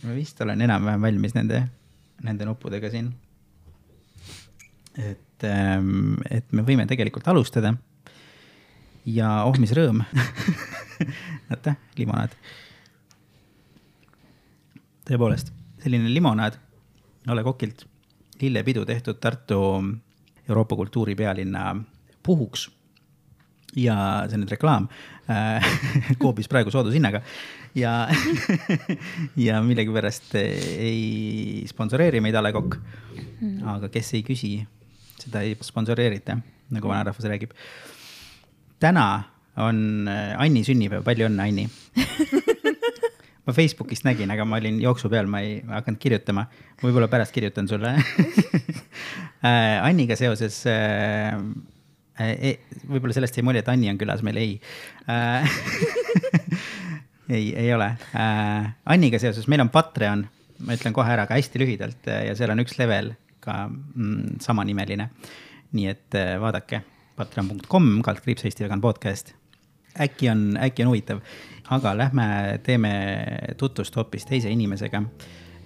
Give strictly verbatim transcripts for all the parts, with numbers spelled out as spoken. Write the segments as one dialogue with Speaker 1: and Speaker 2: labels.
Speaker 1: ma vist olen enam-vähem valmis nende, nende nuppudega siin. Et, et me võime tegelikult alustada. Ja oh, mis rõõm. Näete, limonaad. Tõepoolest, selline limonaad Ole Kokilt lillepidu tehtud Tartu Euroopa kultuuri pealinna puhuks. Ja see nüüd reklaam koobis praegu soodushinnaga ja, ja millegi pärast ei sponsoreeri meid Ole Kokk, aga kes ei küsi, seda ei sponsoreerita, nagu vanarahvas räägib. Täna on Anni sünnipäev, palju õnne Anni. Ma Facebookist nägin, aga ma olin jooksu peal, ma ei hakanud kirjutama. Ma võib-olla pärast kirjutan sulle. Anniga seoses E, võib-olla sellest ei mulje, et Anni on külas, meil ei. Äh, ei, ei ole. Äh, Anniga seoses, meil on Patreon, ma ütlen kohe ära ka hästi lühidalt ja seal on üks level ka mm, samanimeline. Nii et äh, vaadake patreon punkt com, kaldkriips Eesti Vegan Podcast. Äkki on, äkki on huvitav, aga lähme teeme tutvust hoopis teise inimesega,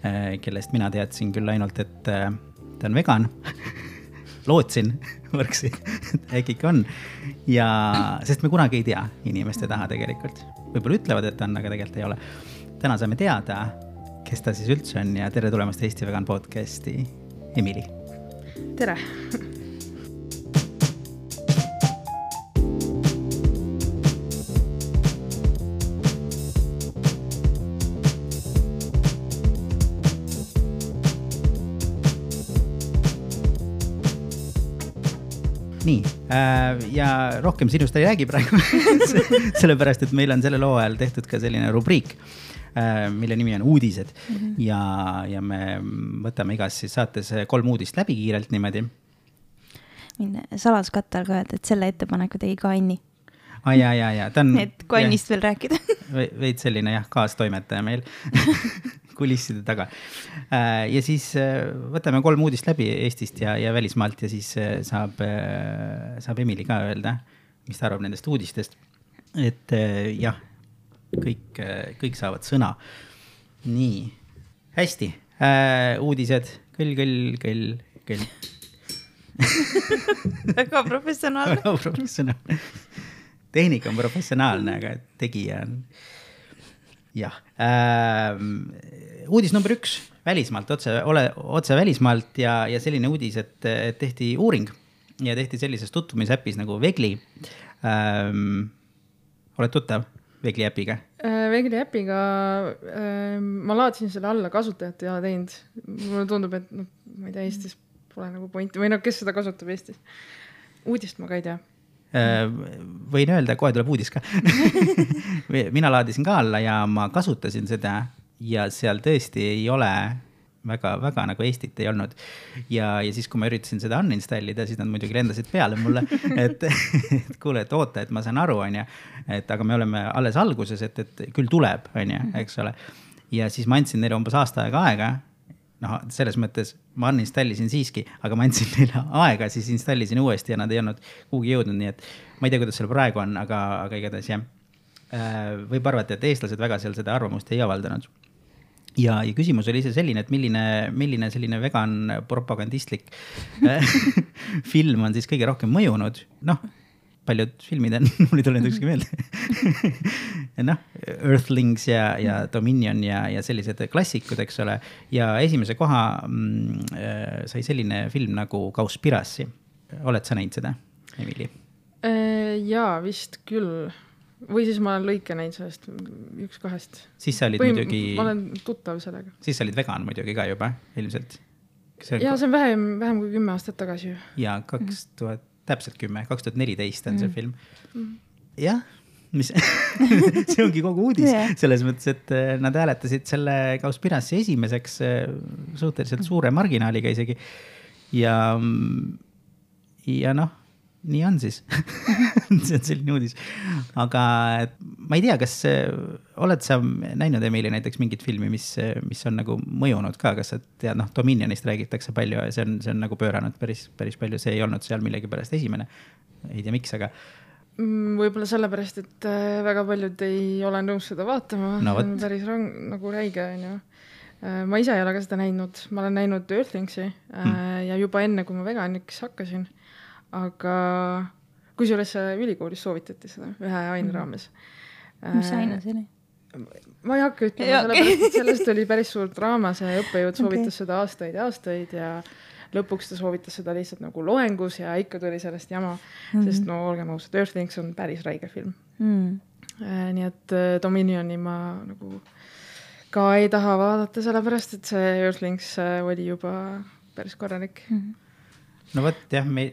Speaker 1: äh, kellest mina teadsin küll ainult, et äh, ta on vegan. Lootsin võrksi, äkki ikka on. Ja, sest me kunagi ei tea inimeste taha tegelikult. Võib-olla ütlevad, et on, aga tegelikult ei ole. Täna saame teada, kes ta siis üldse on ja tere tulemast Eesti Vegan Podcasti, Emily.
Speaker 2: Tere!
Speaker 1: Nii, ja rohkem sinust ei räägi praegu, sellepärast, et meil on selle loo ajal tehtud ka selline rubriik, mille nimi on uudised. Mm-hmm. Ja, ja me võtame igas siis saates kolm uudist läbi kiirelt niimoodi.
Speaker 3: Mine saladuskatte all ka öelda, et selle ettepaneku tegi ka Anni.
Speaker 1: Ah, ja, ja, ja. Ta on,
Speaker 3: et kui Annist veel rääkida.
Speaker 1: Veid selline jah, kaastoimetaja meil. Kulisside taga. Ja siis võtame kolm uudist läbi Eestist ja, ja välismaalt ja siis saab, saab Emily ka öelda, mis ta arvab nendest uudistest. Et jah, kõik, kõik saavad sõna. Nii, hästi. Uudised, kõll, kõll, kõll, kõll.
Speaker 3: Väga professionaalne.
Speaker 1: Väga professionaalne. Tehnika on professionaalne, aga tegija on... Jah. Ähm, uudis number üks, välismaalt, otse, ole, otse välismaalt ja, ja selline uudis, et, et tehti uuring ja tehti sellises tutvumisäppis nagu Vegli. Ähm, oled tuttav Vegli äpiga?
Speaker 2: Vegli äpiga äh, ma laadsin selle alla kasutajat ja teinud. Mulle tundub, et no, ma ei tea, Eestis pole nagu pointi või no, kes seda kasutab Eestis. Uudist ma ka ei tea.
Speaker 1: Võin öelda, kohe tuleb uudis ka. Mina laadisin ka alla ja ma kasutasin seda ja seal tõesti ei ole väga, väga nagu Eestit ei olnud. Ja, ja siis, kui ma üritasin seda uninstallida, siis nad muidugi lendasid peale mulle, et, et kuule, et oota, et ma saan aru, on ja, et aga me oleme alles alguses, et, et küll tuleb, on ja, eks ole. Ja siis ma andsin neile umbes aasta aega aega. No, selles mõttes ma uninstallisin siiski, aga ma andsin neile aega, siis installisin uuesti ja nad ei olnud kuhugi jõudnud, nii et ma ei tea, kuidas seal praegu on, aga, aga igatahes jah. Võib arvata, et eestlased väga seal seda arvamust ei avaldanud. Ja, ja küsimus oli ise selline, et milline, milline selline vegan propagandistlik film on siis kõige rohkem mõjunud. Noh, paljud filmid on, mul ei tule nüüd ükski meelde. noh, Earthlings ja, ja Dominion ja, ja sellised klassikud, eks ole. Ja esimese koha mm, sai selline film nagu Cowspiracy. Oled sa näinud seda, Emily?
Speaker 2: Jaa, vist küll. Või siis ma olen lõike näinud sellest üks kahest.
Speaker 1: Siis sa olid
Speaker 2: Või
Speaker 1: muidugi...
Speaker 2: Ma olen tuttav sellega.
Speaker 1: Siis sa olid vegan muidugi ka juba, ilmselt.
Speaker 2: See Jaa, see on vähem, vähem kui kümme aastat tagasi.
Speaker 1: Ja kaks tuhat, mm. täpselt kümme, kaks tuhat neliteist on see mm. film.
Speaker 2: Mm.
Speaker 1: Jah, mis see ongi kogu uudis. Yeah. Selles mõttes, et nad hääletasid selle Cowspiracy esimeseks suhteliselt suure marginaaliga isegi. Ja, ja noh, nii on siis. see on selline uudis. Aga ma ei tea, kas oled sa näinud Emily näiteks mingit filmi, mis, mis on nagu mõjunud ka, kas sa tead, noh, Dominionist räägitakse palju ja see on, see on nagu pööranud päris, päris palju, see ei olnud seal millegi pärast esimene. Ei tea, miks, aga...
Speaker 2: Võib-olla sellepärast, et väga paljud ei ole nõus seda vaatama.
Speaker 1: No,
Speaker 2: see on päris rang, nagu räige. ma ise ei ole ka seda näinud, ma olen näinud Earthlingsi mm. ja juba enne, kui ma veganiks hakkasin, aga kusjuures ülikoolis soovitati seda ühe aine raames.
Speaker 3: Mis aine see oli?
Speaker 2: Ma ei hakka ütlema, ja, okay. sellepärast, et sellest oli päris suur draama, see õppejõud soovitas okay. seda aastaid ja aastaid ja lõpuks ta soovitas seda lihtsalt nagu loengus ja ikka tuli sellest jama, mm. sest no olgem ausad, Earthlings on päris räige film. Mm. Nii et Dominioni ma nagu ka ei taha vaadata, sellepärast, et see Earthlings oli juba päris korralik. Mm.
Speaker 1: No võt, jah, me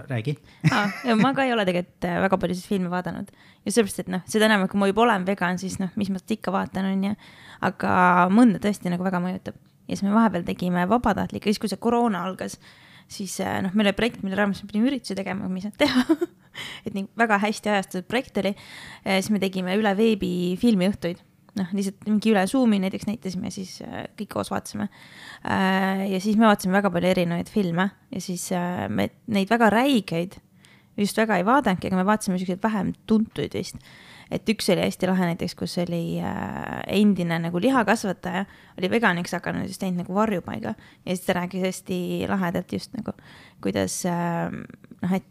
Speaker 1: räägi.
Speaker 3: ah, ma ka ei ole tegelikult väga palju siis filmi vaadanud. Ja sellepärast, et noh, seda enam, kui ma juba olen vegan, siis noh, mis ma seda ikka vaatan on ja, aga mõnda tõesti nagu väga mõjutab. Ja siis me vahepeal tegime vabatahtlik, ja siis kui see koroona algas, siis noh, meil oli projekt, mille raames me pidime ürituse tegema, mis nad teha. et nii väga hästi ajastatud projekt oli. Siis me tegime üle veebi filmiõhtuid. Noh, lihtsalt mingi üle Zoomi näiteks näitasime ja siis kõik koos vaatasime. Ja siis me vaatasime väga palju erinevaid filme ja siis me neid väga räigeid just väga ei vaadanudki, aga me vaatasime selliseid vähem tuntuid vist. Et üks oli hästi lahe näiteks, kus oli endine nagu lihakasvataja, oli veganiks hakanud just teinud nagu varjupaiga ja siis ta rääkis hästi lahedalt just nagu, kuidas noh, et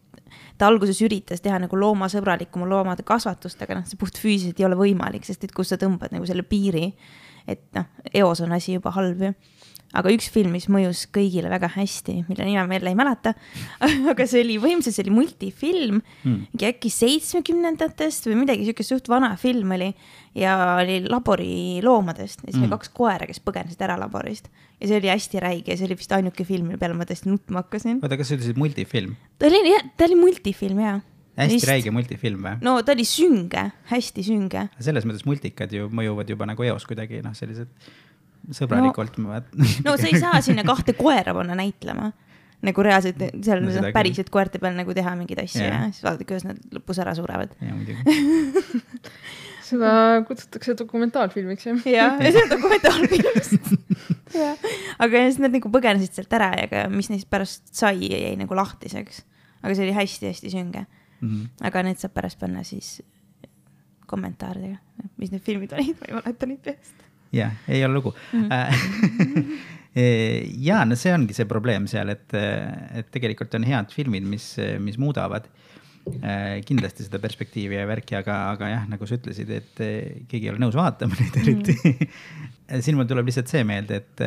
Speaker 3: ta alguses üritas teha nagu loomasõbralikuma loomade kasvatust, aga noh, see puht füüsiliselt ei ole võimalik, sest et kus sa tõmbad nagu selle piiri, et noh, eos on asi juba halb ju. Aga üks film, mis mõjus kõigile väga hästi, mille nime ma jälle ei mäleta, aga see oli võimsalt, see oli multifilm, mm. äkki seitsmekümnendatest või midagi siukest suht vana film oli ja oli labori loomadest ja siis mm. oli kaks koera, kes põgenesid ära laborist ja see oli hästi räige ja see oli vist ainuke film, mille peale ma tõesti nutma hakkasin.
Speaker 1: Oota, kas sa ütlesid multifilm?
Speaker 3: Ta oli, ta oli multifilm, jaa.
Speaker 1: Hästi Vist. Räige multifilm või?
Speaker 3: No ta oli sünge, hästi sünge.
Speaker 1: Selles mõttes multikad ju mõjuvad juba nagu eos kuidagi, noh sellised sõbralikult
Speaker 3: no,
Speaker 1: ma vaatan.
Speaker 3: No sa ei saa sinna kahte koera panna näitlema. Nagu reaalselt, seal no, päriselt koerte peal nagu teha mingeid asju yeah. ja siis vaadata, kuidas nad lõpus ära surevad.
Speaker 1: Ja, muidugi.
Speaker 2: Seda kutsutakse dokumentaalfilmiks, jah?
Speaker 3: Jah, see on dokumentaalfilmist. ja. Aga siis nad nagu põgenesid sealt ära ja mis neist pärast sai jäi nagu lahtiseks. Aga see oli hästi-hästi sünge. Mm-hmm. Aga need saab pärast panna siis kommentaaridega, mis need filmid olid, ma ei mäleta neid peast.
Speaker 1: Jah, ei ole lugu. Mm-hmm. ja, no see ongi see probleem seal, et, et tegelikult on head filmid, mis, mis muudavad kindlasti seda perspektiivi ja värki, aga, aga jah, nagu sa ütlesid, et keegi ei ole nõus vaatama neid eriti. Mm-hmm. Siin mul tuleb lihtsalt see meelde, et,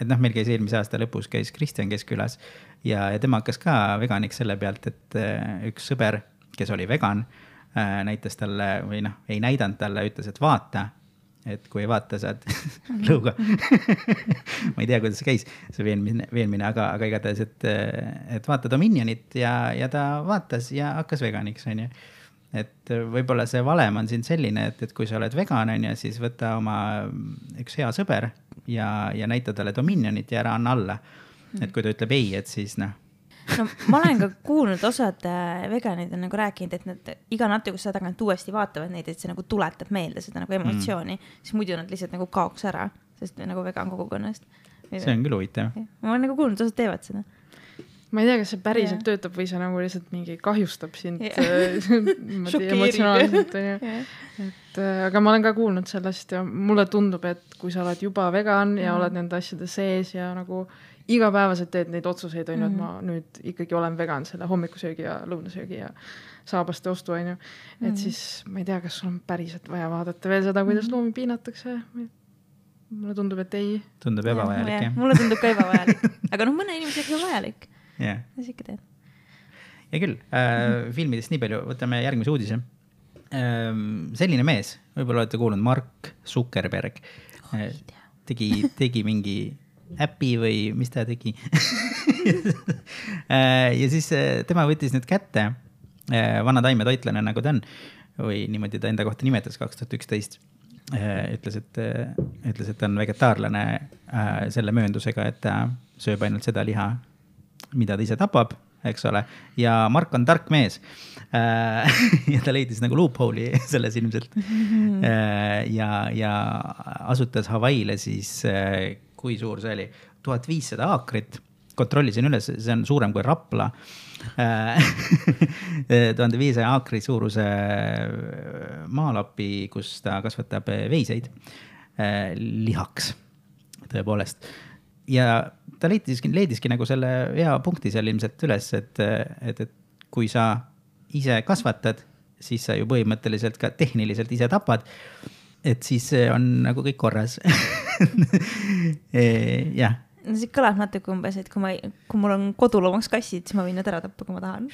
Speaker 1: et noh, meil käis eelmise aasta lõpus käis Kristjan Keskkülas ja, ja tema hakkas ka veganiks selle pealt, et üks sõber, kes oli vegan, näitas talle või noh, ei näidanud talle, ütles, et vaata, et kui ei vaata, saad lõuga. ma ei tea, kuidas see käis, see veenmine, veenmine aga, aga igatahes, et, et vaata Dominionit ja, ja ta vaatas ja hakkas veganiks, on ju. Et võib-olla see valem on siin selline, et, et kui sa oled vegan, on ju, siis võta oma üks hea sõber ja, ja näita talle Dominionit ja ära anna alla. Et kui ta ütleb ei, et siis noh.
Speaker 3: No, ma olen ka kuulnud osad veganid on nagu rääkinud, et nad iga natuke seda tagant uuesti vaatavad neid, et see nagu tuletab meelde seda nagu emotsiooni, mm. siis muidu nad lihtsalt nagu kaoks ära, sest nagu vegan kogukonnast.
Speaker 1: See on küll huvitav.
Speaker 3: Ma olen nagu kuulnud, osad teevad seda.
Speaker 2: Ma ei tea, kas see päriselt yeah. töötab või see nagu lihtsalt mingi kahjustab sind yeah. emotsionaalselt. Yeah. Et, aga ma olen ka kuulnud sellest ja mulle tundub, et kui sa oled juba vegan ja mm. oled nende asjade sees ja nagu igapäevaselt teed neid otsuseid, on ju, et ma nüüd ikkagi olen vegan selle hommikusöögi ja lõunasöögi ja saabaste ostu, on ju. Et mm. siis ma ei tea, kas sul on päriselt vaja vaadata veel seda, kuidas mm. loomi piinatakse. Mulle tundub, et ei.
Speaker 1: Tundub ebavajalik, jah.
Speaker 3: Mulle tundub ka ebavajalik. Aga noh, mõne inimesega on vajalik.
Speaker 1: Yeah.
Speaker 3: Ja ikka teed.
Speaker 1: Ja küll, äh, filmidest nii palju, võtame järgmise uudise. Äh, selline mees, võib-olla olete kuulnud, Mark Zuckerberg, äh, tegi, tegi mingi äpi või mis ta tegi. ja siis tema võttis nüüd kätte, vana taimetoitlane nagu ta on, või niimoodi ta enda kohta nimetas kaks tuhat üksteist. Ütles, et, ütles, et ta on vegetaarlane selle mööndusega, et ta sööb ainult seda liha, mida ta ise tapab, eks ole. Ja Mark on tark mees. ja ta leidis nagu loophole'i selles ilmselt. ja, ja asutas Hawaiile siis kui suur see oli, tuhat viissada aakrit, kontrollisin üles, see on suurem kui Rapla, tuhat viissada aakri suuruse maalapi, kus ta kasvatab veiseid lihaks. tõepoolest. Ja ta leidiski, leidiski nagu selle hea punkti seal ilmselt üles, et, et, et kui sa ise kasvatad, siis sa ju põhimõtteliselt ka tehniliselt ise tapad, et siis on nagu kõik korras. Jah.
Speaker 3: No see kõlab natuke umbes, et kui, ma, kui mul on koduloomaks kassid, siis ma võin nad ära tappa, kui ma tahan.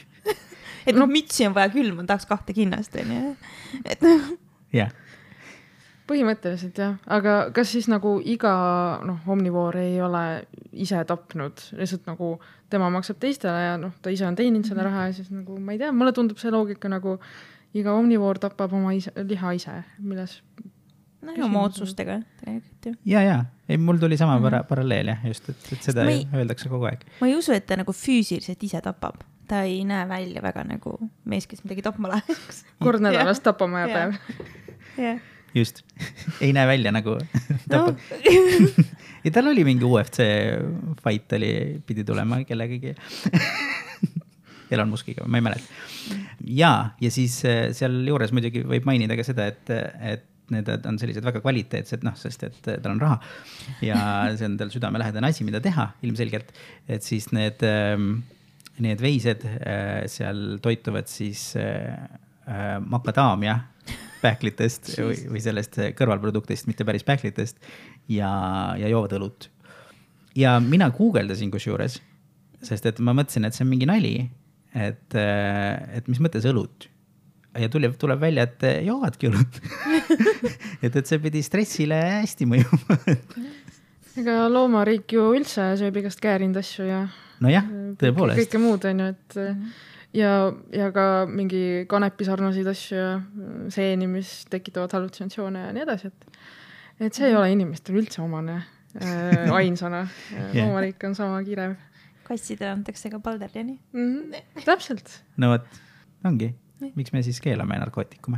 Speaker 3: Et no mütsi on vaja küll, ma tahaks kahte kinnast. Et...
Speaker 1: jah.
Speaker 2: Põhimõtteliselt jah, aga kas siis nagu iga noh, omnivoor ei ole ise tapnud, lihtsalt nagu tema maksab teistele ja noh, ta ise on teeninud selle raha ja siis nagu ma ei tea, mulle tundub see loogika nagu iga omnivoor tapab oma ise, liha ise, milles
Speaker 3: no ja oma otsustega tegelikult ju.
Speaker 1: Ja, ja, ei, mul tuli sama para- paralleel jah, just, et, et seda ei, öeldakse kogu aeg.
Speaker 3: Ma ei usu, et ta nagu füüsiliselt ise tapab. Ta ei näe välja väga nagu mees, kes midagi tapma läheks.
Speaker 2: Kord nädalast tapama ja päev.
Speaker 3: Jah.
Speaker 1: Just, ei näe välja nagu tapab. No. Ja tal oli mingi U F C fight, oli, pidi tulema kellegagi. Elon Muskiga, ma ei mäleta. Ja, ja siis seal juures muidugi võib mainida ka seda, et, et need on sellised väga kvaliteetsed, noh, sest et tal on raha ja see on tal südamelähedane asi, mida teha ilmselgelt, et siis need, need veised seal toituvad siis makadaamia pähklitest või, või sellest kõrvalproduktist, mitte päris pähklitest ja, ja joovad õlut. Ja mina guugeldasin kusjuures, sest et ma mõtlesin, et see on mingi nali, et, et mis mõttes õlut. Ja tuleb, tuleb välja, et joovadki õlut. et, et see pidi stressile hästi mõjuma.
Speaker 2: Ega loomariik ju üldse sööb igast käärind asju ja
Speaker 1: no jah, tõepoolest.
Speaker 2: Kõike muud on ju, et ja, ja ka mingi kanepi sarnaseid asju ja seeni, mis tekitavad hallutinatsioone ja nii edasi, et, et see ei ole inimestel üldse omane äh, ainsana. yeah. Loomariik on sama kirev.
Speaker 3: Kassidele antakse ka palderjani.
Speaker 2: Mm-hmm. Täpselt.
Speaker 1: No võt, ongi. Miks me siis keelame narkootikume?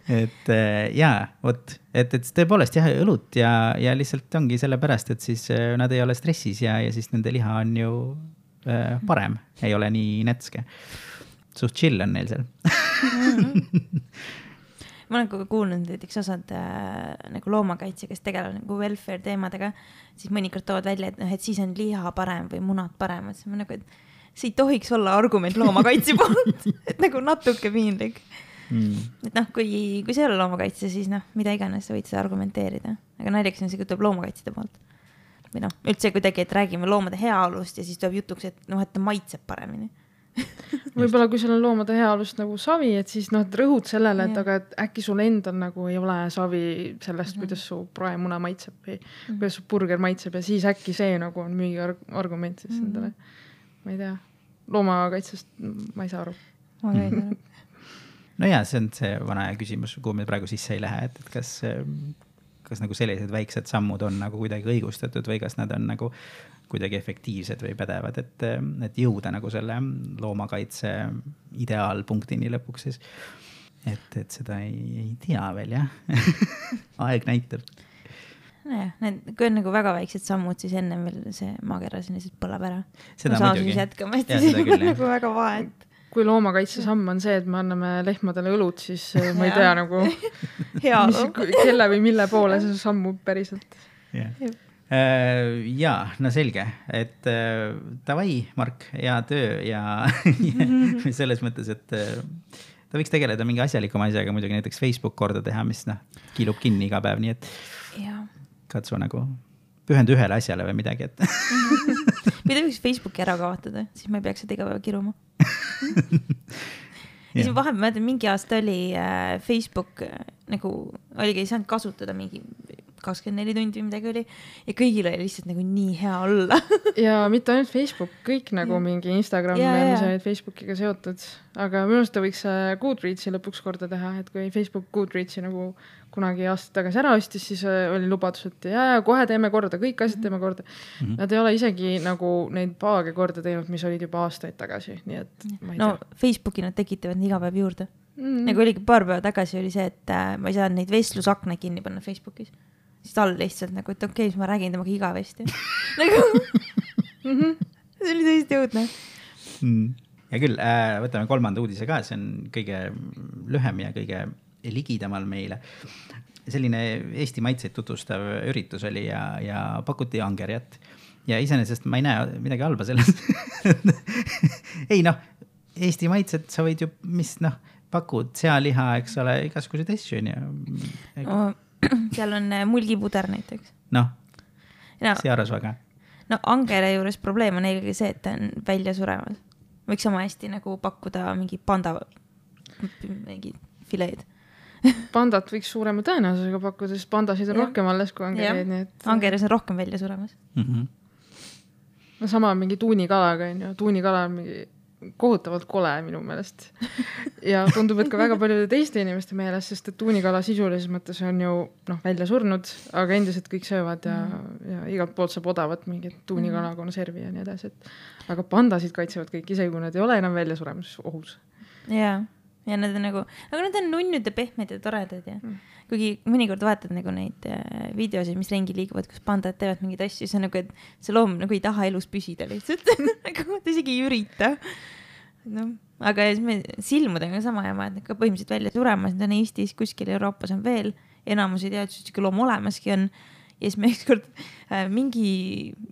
Speaker 1: et jaa, võt, et, et tõepoolest jah, õlut ja, ja lihtsalt ongi selle pärast, et siis nad ei ole stressis ja, ja siis nende liha on ju parem, ei ole nii netske. Suht chill on neil seal.
Speaker 3: Ma olen ka kuulnud näiteks osad äh, nagu loomakaitse, kes tegelevad nagu welfare teemadega, siis mõnikord toovad välja, et, noh, et siis on liha parem või munad parem. Et see, nagu, et see ei tohiks olla argument loomakaitse poolt, et nagu natuke piinlik. Mm. Et noh, kui, kui see ei ole loomakaitse, siis noh, mida iganes sa võid seda argumenteerida. Aga naljakas on see, kui tuleb loomakaitsjate poolt. Või noh, üldse kuidagi, et räägime loomade heaolust ja siis tuleb jutuks, et noh, et ta maitseb paremini.
Speaker 2: Võib-olla kui sul on loomade heaolust nagu savi, et siis noh, et rõhud sellele, et aga et äkki sul endal nagu ei ole savi sellest, mm-hmm. kuidas su praemuna maitseb või mm-hmm. kuidas su burger maitseb ja siis äkki see nagu on müügi argument siis mm-hmm. endale. Ma ei tea, loomakaitsest ma ei saa aru.
Speaker 3: Ma ei tea.
Speaker 1: No jaa, see on see vana küsimus, kuhu me praegu sisse ei lähe, et, et kas... kas nagu sellised väiksed sammud on nagu kuidagi õigustatud või kas nad on nagu kuidagi efektiivsed või pädevad, et, et jõuda nagu selle loomakaitse ideaalpunktini lõpuks siis. Et, et seda ei, ei tea veel, jah. Aeg näitab.
Speaker 3: Nojah, need, kui on nagu väga väiksed sammud, siis enne veel see maakera siin lihtsalt põleb ära.
Speaker 1: Seda muidugi.
Speaker 3: Jätkama, et siis on nagu väga vahet.
Speaker 2: Kui loomakaitse samm on see, et me anname lehmadele õlut, siis ma ei tea nagu mis, kelle või mille poole see sammub päriselt.
Speaker 1: Yeah. Uh, jaa, no selge, et uh, davai, Mark, hea töö ja, ja selles mõttes, et uh, ta võiks tegeleda mingi asjalikuma asjaga, muidugi näiteks Facebook korda teha, mis noh, kiilub kinni iga päev, nii et
Speaker 3: ja. Katsu
Speaker 1: nagu pühendu ühele asjale või midagi, et
Speaker 3: mida võiks Facebooki ära kaotada, siis ma ei peaks seda iga päeva kiruma. ja siis vahepeal mõtlen, mingi aasta oli äh, Facebook äh, nagu oligi, ei saanud kasutada mingi kakskümmend neli tundi või midagi oli ja kõigil oli lihtsalt nagu nii hea olla.
Speaker 2: ja mitte ainult Facebook, kõik nagu ja. Mingi Instagram, ja, ja. Mis olid Facebookiga seotud, aga minu arust ta võiks Goodreadsi lõpuks korda teha, et kui Facebook Goodreadsi nagu kunagi aasta tagasi ära ostis, siis oli lubadus, et ja, ja kohe teeme korda, kõik asjad teeme korda. Mm-hmm. Nad ei ole isegi nagu neid paage korda teinud, mis olid juba aastaid tagasi, nii et ma ei
Speaker 3: no,
Speaker 2: tea.
Speaker 3: Facebooki nad tekitavad iga päev juurde. Mm-hmm. Nagu oligi paar päeva tagasi oli see, et äh, ma ei saa neid vestlusakne kinni panna Facebookis. Siis tal lihtsalt nagu, et okei, okay, siis ma räägin temaga igavesti. nagu mm-hmm. see oli tõesti jõudne.
Speaker 1: Mm. Ja küll, äh, võtame kolmanda uudise ka, see on kõige lühem ja kõige ligidamal meile. selline Eesti maitseid tutvustav üritus oli ja, ja pakuti angerjat. Ja iseenesest ma ei näe midagi halba selles. ei noh, Eesti maitsed sa võid ju, mis noh, pakud sealiha, eks ole, igasuguseid asju.
Speaker 3: Oh, seal on mulgipuder näiteks.
Speaker 1: Noh,
Speaker 3: no,
Speaker 1: searasvaga.
Speaker 3: No angere juures probleem on eelkõige see, et ta on välja suremas. Võiks sama hästi nagu pakkuda mingi panda mingi fileed.
Speaker 2: Pandat võiks suurema tõenäosusega pakkuda, sest pandasid on ja. rohkem alles kui angereid. Nii et...
Speaker 3: Angeres on rohkem välja suremas.
Speaker 1: Mm-hmm.
Speaker 2: No sama mingi tuunikalaga on ju. Tuunikala on mingi kohutavalt kole minu meelest. Ja tundub, et ka väga paljude teiste inimeste meelest, sest et tuunikala sisulises mõttes on ju noh, välja surnud, aga endiselt kõik söövad ja, mm. ja igalt poolt saab odavat mingit tuunikala konservi ja nii edasi. Et, aga pandasid kaitsevad kõik, isegi kui nad ei ole enam välja suremus ohus.
Speaker 3: Jaa. Ja nad on nagu, aga nad on nunnud ja pehmed ja toredad ja mm. kuigi mõnikord vaatad nagu neid videosid, mis rengi liiguvad, kus pandad teevad mingeid asju, see on nagu, et see loom nagu ei taha elus püsida lihtsalt. Nagu ta isegi ei ürita. No, aga silmudega sama jama, et ka põhimõtteliselt välja suremas, need on Eestis, kuskil Euroopas on veel, enamus ei tea, et siuke loom olemaski on. Ja siis me ükskord mingi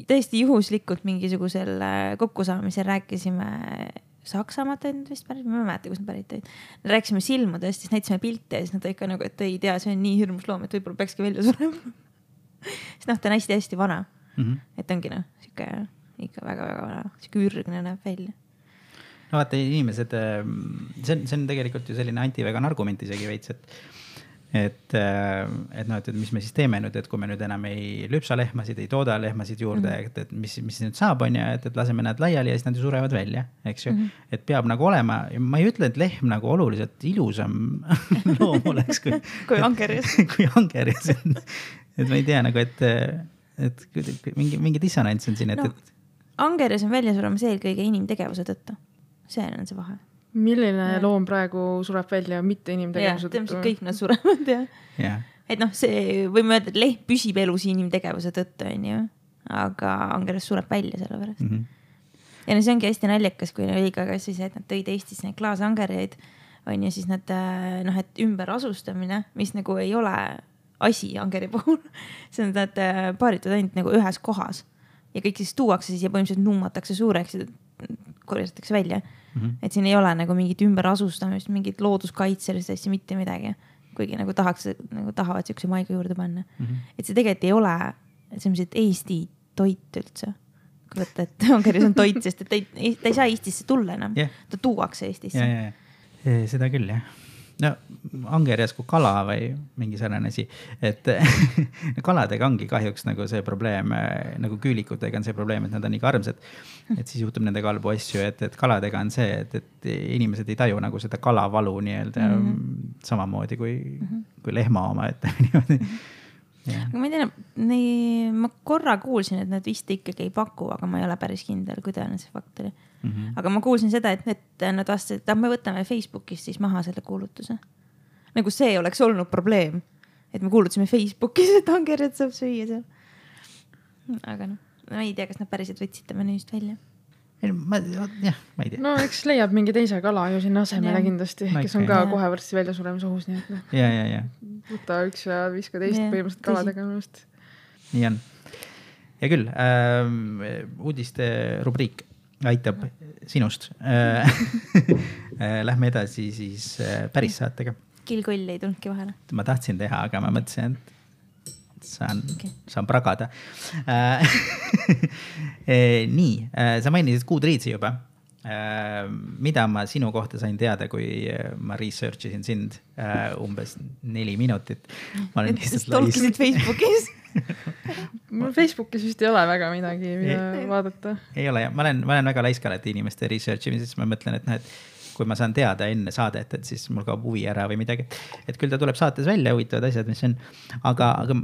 Speaker 3: täiesti juhuslikult mingisugusel kokkusaamisel rääkisime Saksamaat ainult vist päris, ma ei mäleta, kus nad pärit olid. Rääkisime silmudest, siis näitasime pilte ja siis nad ikka nagu, et ei tea, see on nii hirmus loom, et võib-olla peakski välja surema. Siis noh, ta on hästi-hästi vana. Mm-hmm. Et ongi noh, siuke ikka väga-väga vana, siuke ürgne näeb välja.
Speaker 1: No vaata, inimesed, see on, see on tegelikult ju selline antivegan argument isegi veits, et et, et noh, et mis me siis teeme nüüd, et kui me nüüd enam ei lüpsa lehmasid, ei tooda lehmasid juurde, mm-hmm. et, et mis, mis nüüd saab on ja et, et laseme nad laiali ja siis nad ju surevad välja, eks ju. Mm-hmm. Et peab nagu olema, ma ei ütle, et lehm nagu oluliselt ilusam loom oleks kui,
Speaker 3: kui angerjas.
Speaker 1: kui angerjas. Et ma ei tea nagu, et, et mingi, mingi dissonants on siin, et,
Speaker 3: no, et... Angerjas on välja suremas eelkõige inimtegevuse tõttu. See on see vahe.
Speaker 2: Milline ja. loom praegu sureb välja mitte inimtegevuse
Speaker 3: tõttu? Ja, kõik nad surevad, jah.
Speaker 1: Ja.
Speaker 3: Et noh, see võime öelda, et lehm püsib elus inimtegevuse tõttu, on ju. Aga angeres sureb välja selle pärast. Mm-hmm. Ja no see ongi hästi naljakas, kui õiga kas siis, et nad tõid Eestis neid klaasangereid, on ju siis nad, noh, et ümber asustamine, mis nagu ei ole asi angeri puhul. See on, et paaritud ainult nagu ühes kohas. Ja kõik siis tuuakse siis ja põhimõtteliselt nummatakse suureks ja korjatakse välja. Mm-hmm. Et siin ei ole nagu mingit ümber asustamist, mingit looduskaitselist asja, mitte midagi. Kuigi nagu tahaks, nagu tahavad siukse maiga juurde panna. Mm-hmm. Et see tegelikult ei ole, et see on see Eesti toit üldse. Kui võtta, et angeris on toit, sest et ta ei, ta ei saa Eestisse tulla enam. Yeah. Ta tuuakse Eestisse.
Speaker 1: Ja, ja, ja. Seda küll, jah. No, angerjas kui kala või mingi sarnane asi, et kaladega ongi kahjuks nagu see probleem, nagu küülikutega on see probleem, et nad on nii karmsad, et siis juhtub nendega halbu asju, et, et kaladega on see, et, et inimesed ei taju nagu seda kalavalu nii-öelda mm-hmm. samamoodi kui, mm-hmm. kui lehma oma, et niimoodi.
Speaker 3: Ja. Aga ma ei tea, nii, ma korra kuulsin, et nad vist ikkagi ei paku, aga ma ei ole päris kindel, kui tõenäoliselt see fakt oli. Mm-hmm. Aga ma kuulsin seda, et, et nad vastasid, et me võtame Facebookist siis maha selle kuulutuse. Nagu see oleks olnud probleem, et me kuulutasime Facebookis, et angerjad saab süüa seal. Aga noh, ma ei tea, kas nad päriselt võtsid ta menüüst välja.
Speaker 1: Ma, jah, ma ei tea.
Speaker 2: No eks leiab mingi teise kala ju sinna asemele kindlasti, kes on ka kohe varsti välja suremas ohus. Nii et noh,
Speaker 1: ja, ja, ja.
Speaker 2: Võta üks ja viska teist ja, põhimõtteliselt kaladega.
Speaker 1: Nii on. Ja küll, äh, uudiste rubriik aitab sinust. Lähme edasi siis päris saatega.
Speaker 3: Kilkoll ei tulnudki vahele.
Speaker 1: Ma tahtsin teha, aga ma mõtlesin, et saan, okay. saan pragada. Nii, sa mainisid Goodreadsi juba. Mida ma sinu kohta sain teada, kui ma research isin sind umbes neli minutit. Ma olen lihtsalt
Speaker 3: tolkisid Facebookis.
Speaker 2: Mul Facebookis vist ei ole väga midagi, mida ei, vaadata.
Speaker 1: Ei ole, ma olen, ma olen väga laiskalt inimeste research imises, ma mõtlen, et, et kui ma saan teada enne saadet, et siis mul kaob huvi ära või midagi. Et küll ta tuleb saates välja, huvitavad asjad, mis on. Aga, aga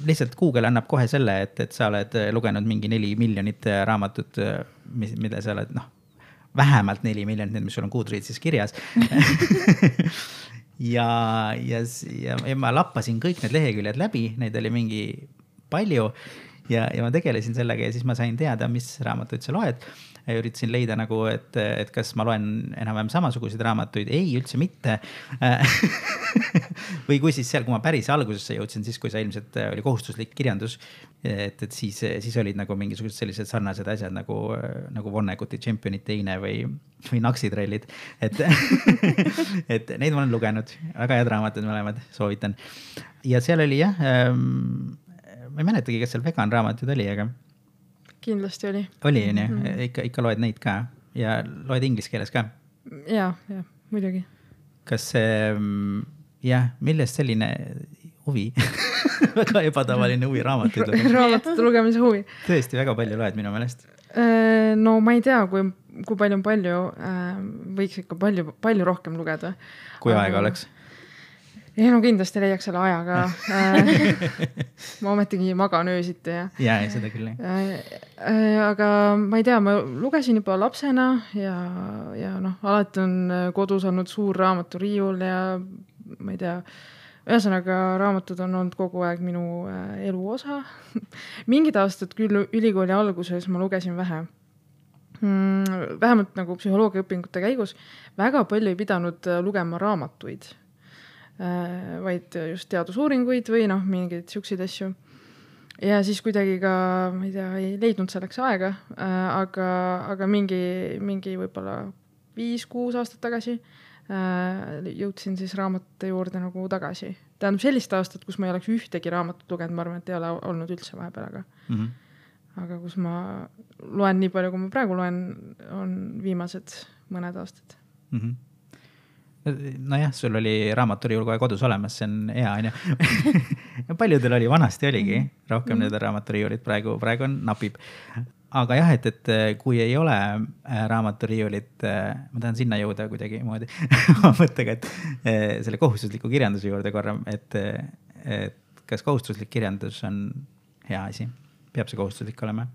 Speaker 1: lihtsalt Google annab kohe selle, et, et sa oled lugenud mingi neli miljonit raamatut, mida sa oled, noh, vähemalt neli miljonit, mis sul on Goodreadsis kirjas. ja, ja, ja, ja ma lappasin kõik need leheküljed läbi, neid oli mingi palju. ja, ja ma tegelesin sellega ja siis ma sain teada, mis raamatuid sa loed. Ja üritasin leida nagu, et, et kas ma loen enam-vähem samasuguseid raamatuid. Ei, üldse mitte. Või kui siis seal, kui ma päris algusesse jõudsin, siis kui see ilmselt oli kohustuslik kirjandus, et, et siis, siis olid nagu mingisugused sellised sarnased asjad nagu, nagu Vonneguti Championid teine või, või Naksitrellid. Et, et neid ma olen lugenud. Väga head raamatud mõlemad, soovitan. Ja seal oli jah, ähm, ma ei mäletagi, kas seal vegan raamatud oli, aga
Speaker 2: kindlasti oli.
Speaker 1: Oli, on ju? Mm-hmm. Ikka, ikka loed neid ka ja loed inglise keeles ka?
Speaker 2: Ja, ja, muidugi.
Speaker 1: Kas see, jah, millest selline huvi? Väga ebatavaline huvi raamatuid.
Speaker 2: Raamatute lugemise huvi.
Speaker 1: Tõesti, väga palju loed minu meelest.
Speaker 2: No ma ei tea, kui, kui palju on palju, võiks ikka palju, palju rohkem lugeda.
Speaker 1: Kui Aga... aega oleks?
Speaker 2: Ja no kindlasti leiaks selle ajaga. Ma ometigi magan öösiti. Ja,
Speaker 1: ja seda küll.
Speaker 2: Aga ma ei tea, ma lugesin juba lapsena ja, ja noh, alati on kodus olnud suur raamaturiiul ja ma ei tea, ühesõnaga raamatud on olnud kogu aeg minu elu osa. Mingid aastad küll ülikooli alguses ma lugesin vähe. Vähemalt nagu psühholoogia õpingute käigus väga palju ei pidanud lugema raamatuid. Vaid just teadusuuringuid või noh, mingeid siukseid asju. Ja siis kuidagi ka, ma ei tea, ei leidnud selleks aega, aga, aga mingi, mingi võibolla viis kuus aastat tagasi jõudsin siis raamatute juurde nagu tagasi. Tähendab sellist aastat, kus ma ei oleks ühtegi raamatut lugenud, ma arvan, et ei ole olnud üldse vahepeal, aga, mm-hmm. aga kus ma loen nii palju, kui ma praegu loen, on viimased mõned aastad.
Speaker 1: Mm-hmm. Nojah, sul oli raamaturiiul kohe kodus olemas, see on hea, on ju. Paljudel oli, vanasti oligi rohkem need raamaturiiulit, praegu, praegu on napib. Aga jah, et, et kui ei ole raamaturiiulit, ma tahan sinna jõuda kuidagi moodi mõttega, et selle kohustusliku kirjanduse juurde korra, et, et kas kohustuslik kirjandus on hea asi? Peab see kohustuslik olema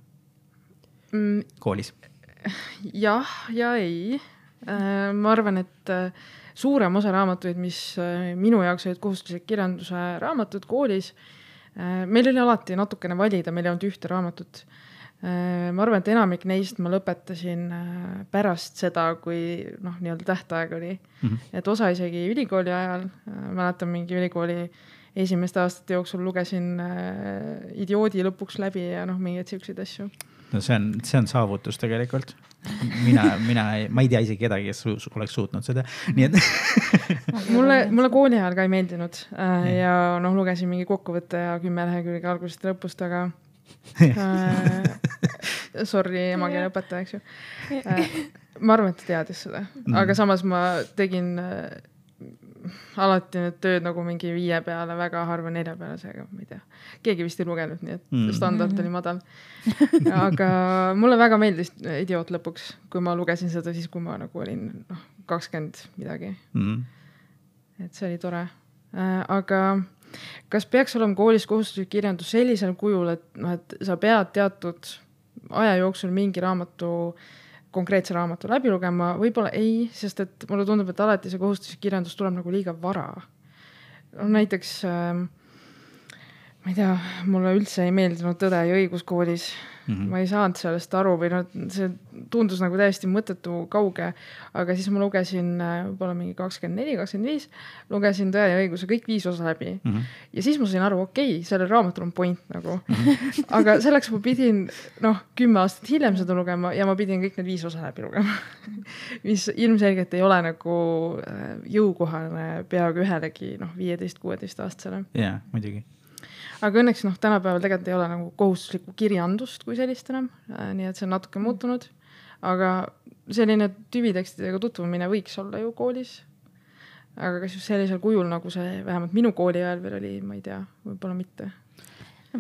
Speaker 1: koolis?
Speaker 2: Jah ja ei. Ma arvan, et suurem osa raamatuid, mis minu jaoks olid kohustuslik kirjanduse raamatud koolis, meil oli alati natukene valida, meil ei olnud ühte raamatut. Ma arvan, et enamik neist ma lõpetasin pärast seda, kui noh, nii-öelda tähtaeg oli. Mm-hmm. Et osa isegi ülikooli ajal, mäletan mingi ülikooli esimeste aastate jooksul lugesin Idioodi lõpuks läbi ja noh, mingeid siukseid asju.
Speaker 1: No see on, see on saavutus tegelikult. Mina, mina ei, ma ei tea isegi kedagi, kes su, oleks suutnud seda. Nii et
Speaker 2: mulle, mulle kooli ajal ka ei meeldinud äh, ja noh, lugesin mingi kokkuvõtte ja kümme lehekülge algusest lõpust, aga äh, sorry, emakeele õpetaja, eks ju. Äh, ma arvan, et ta teadis seda, aga samas ma tegin äh, alati need tööd nagu mingi viie peale, väga harva nelja peale, seega ma ei tea. Keegi vist ei lugenud, nii et mm. standard oli madal. Aga mulle väga meeldis Idioot lõpuks, kui ma lugesin seda siis, kui ma nagu olin noh, kakskümmend midagi. Mm. Et see oli tore. Aga kas peaks olema koolis kohustuslik kirjandus sellisel kujul, et, no, et sa pead teatud aja jooksul mingi raamatu konkreetse raamatu läbi lugema, võib-olla ei, sest et mulle tundub, et alati see kohustuslik kirjandus tuleb nagu liiga vara. No, näiteks, äh, ma ei tea, mulle üldse ei meeldinud Tõde ja õigus koolis. Mm-hmm. Ma ei saanud sellest aru või no, see tundus nagu täiesti mõttetu kauge, aga siis ma lugesin võib-olla mingi kakskümmend neli kakskümmend viis, lugesin Tõe ja õiguse kõik viis osa läbi. Mm-hmm. Ja siis ma sain aru, okei, okay, sellel raamatul on point nagu. Mm-hmm. Aga selleks ma pidin noh, kümme aastat hiljem seda lugema ja ma pidin kõik need viis osa läbi lugema. Mis ilmselgelt ei ole nagu jõukohane peaaegu ühelegi noh, viieteist kuueteist aastasele.
Speaker 1: Jaa, muidugi.
Speaker 2: Aga õnneks noh, tänapäeval tegelikult ei ole nagu kohustuslikku kirjandust kui sellist enam, nii et see on natuke muutunud. Aga selline tüvitekstidega tutvumine võiks olla ju koolis. Aga kas just sellisel kujul, nagu see vähemalt minu kooli ajal veel oli, ma ei tea, võib-olla mitte.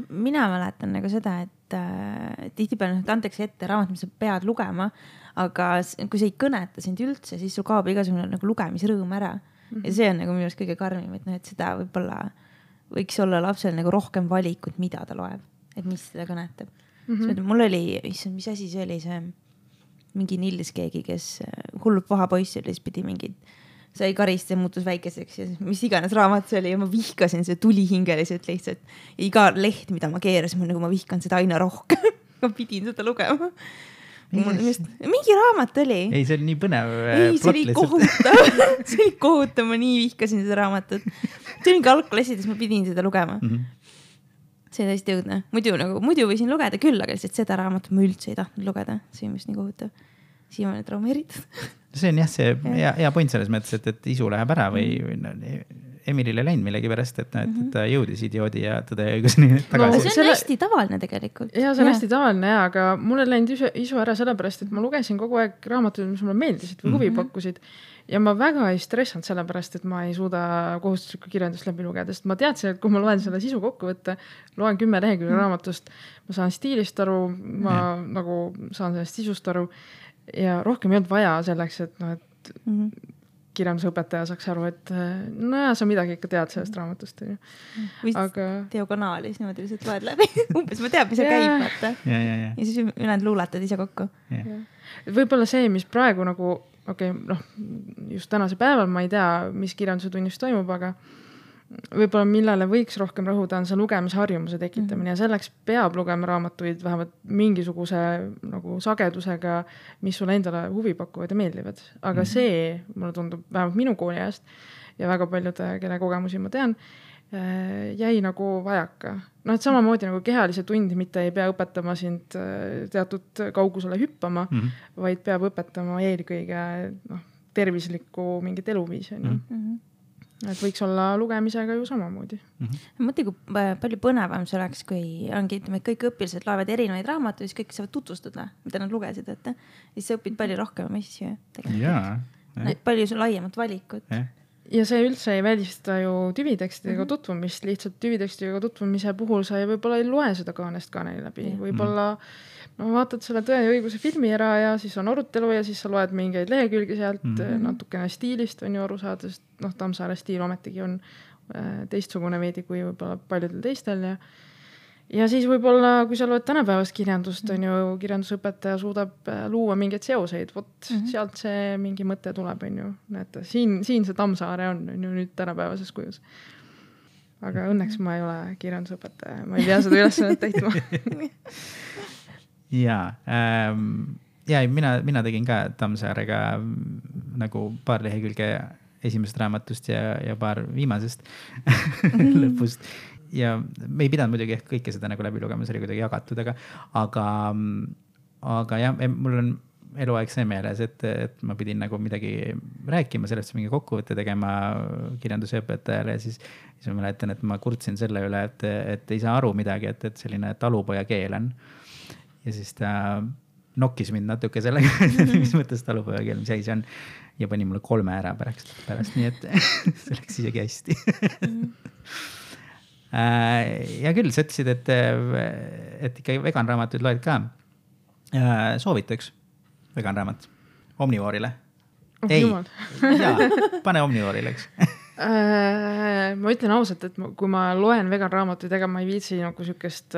Speaker 3: Mina mäletan nagu seda, et äh, tihtipeale antakse ette raamat, mis sa pead lugema, aga kui see ei kõneta sind üldse, siis sul kaob igasugune nagu lugemisrõõm ära. Mm-hmm. Ja see on nagu minu arust kõige karmim, et, no, et seda võib-olla võiks olla lapsel nagu rohkem valikut, mida ta loeb, et mis seda kõnetab. Mm-hmm. Mul oli, issand, mis asi see oli, see mingi nillis keegi, kes hullult paha poiss oli, siis pidi mingid sai karist ja muutus väikeseks ja mis iganes raamat see oli ja ma vihkasin see tulihingeliselt lihtsalt. Ja iga leht, mida ma keerasin, nagu ma vihkan seda aina rohkem. ma pidin seda lugema. Just, mingi raamat oli.
Speaker 1: Ei, see oli nii põnev.
Speaker 3: Ei, see oli kohutav. see oli kohutav, ma nii vihkasin seda raamatut. See oli mingi algklassides, ma pidin seda lugema. Mm-hmm. See oli hästi õudne. Muidu, nagu, muidu võisin lugeda küll, aga lihtsalt seda raamatut ma üldse ei tahtnud lugeda. See on just nii kohutav. Siiamaani traumeeritud.
Speaker 1: See on jah, see hea, hea point selles mõttes, et, et isu läheb ära või, või no, Emilile läinud millegi pärast, et, et, et ta jõudis idioodi ja tõde õiguseni tagasi.
Speaker 3: No, see on selle... hästi tavaline tegelikult.
Speaker 2: Ja see on ja. hästi tavaline ja, aga mul ei läinud isu, isu ära sellepärast, et ma lugesin kogu aeg raamatuid, mis mulle meeldisid või huvi pakkusid. Ja ma väga ei stressanud sellepärast, et ma ei suuda kohustuslikku kirjandust läbi lugeda, sest ma teadsin, et kui ma loen selle sisu kokku võtta, loen kümme lehekülge mm. raamatust, ma saan stiilist aru, ma mm. nagu saan sellest sisust aru ja rohkem ei olnud vaja selleks, et, no, et mm. kirjandusõpetaja saaks aru, et no ja, sa midagi ikka tead sellest raamatust.
Speaker 3: Või aga... diagonaalis niimoodi lihtsalt loed läbi. Umbes ma teab, mis see käib. Vaata.
Speaker 1: Ja, ja, ja.
Speaker 3: ja siis ülejäänud luulatad ise kokku.
Speaker 2: Võib-olla see, mis praegu nagu okei, okay, noh, just tänase päeval ma ei tea, mis kirjanduse tunnis toimub, aga võib-olla millele võiks rohkem rõhuda on see lugemisharjumuse tekitamine mm-hmm. ja selleks peab lugema raamatuid vähemalt mingisuguse nagu sagedusega, mis sulle endale huvi pakuvad ja meeldivad. Aga mm-hmm. see, mulle tundub vähemalt minu kooli ajast ja väga paljude, kelle kogemusi ma tean, jäi nagu vajaka. No, et samamoodi nagu kehalise tundi mitte ei pea õpetama sind teatud kaugusele hüppama, mm-hmm. vaid peab õpetama eelkõige noh, tervislikku mingit eluviisi. Mm-hmm. Et võiks olla lugemisega ju samamoodi.
Speaker 3: Mm-hmm. Mõtle, kui palju põnevam see oleks, kui ongi, ütleme, et kõik õpilased loevad erinevaid raamatuid, siis kõik saavad tutvustada, mida nad lugesid, et siis sa õpid palju rohkem asju.
Speaker 1: Jaa.
Speaker 3: Palju sul laiemat valikut.
Speaker 1: Ja.
Speaker 2: Ja see üldse ei välista ju tüvitekstidega mm-hmm. tutvumist, lihtsalt tüvitekstidega tutvumise puhul sa ei võib-olla ei loe seda kaanest kaaneni läbi. Mm-hmm. Võib-olla no, vaatad selle Tõe ja õiguse filmi ära ja siis on arutelu ja siis sa loed mingeid lehekülgi sealt mm-hmm. natukene stiilist on ju aru saada, sest noh, Tammsaare stiil ometigi on äh, teistsugune veidi kui võib-olla paljudel teistel ja Ja siis võib-olla, kui sa loed tänapäevast kirjandust, on ju, kirjandusõpetaja suudab luua mingeid seoseid, vot mm-hmm. sealt see mingi mõte tuleb, on ju. Näete, siin, siin see Tammsaare on, on ju nüüd tänapäevases kujus. Aga õnneks ma ei ole kirjandusõpetaja, ma ei pea seda ülesannet täitma.
Speaker 1: Jaa, ähm, ja, mina, mina tegin ka Tammsaarega nagu paar lehekülge esimesest raamatust ja, ja paar viimasest lõpust. Ja me ei pidanud muidugi ehk kõike seda nagu läbi lugema, see oli kuidagi jagatud, aga, aga, aga jah, mul on eluaeg see meeles, et, et ma pidin nagu midagi rääkima, sellest mingi kokkuvõtte tegema kirjandusõpetajale ja siis, siis ma mäletan, et ma kurtsin selle üle, et, et ei saa aru midagi, et, et selline talupoja keel on. Ja siis ta nokkis mind natuke sellega, mis mõttes talupoja keel, mis asi see on ja pani mulle kolme ära pärast, pärast nii et see läks isegi hästi. Ja küll, sa ütlesid, et, et ikka veganraamatuid loed ka. Soovitaks veganraamat Omnivoorile.
Speaker 2: Oh,
Speaker 1: ei,
Speaker 2: jaa,
Speaker 1: pane Omnivoorile, eks.
Speaker 2: Ma ütlen ausalt, et kui ma loen veganraamatuid, ega ma ei viitsi nagu sükest,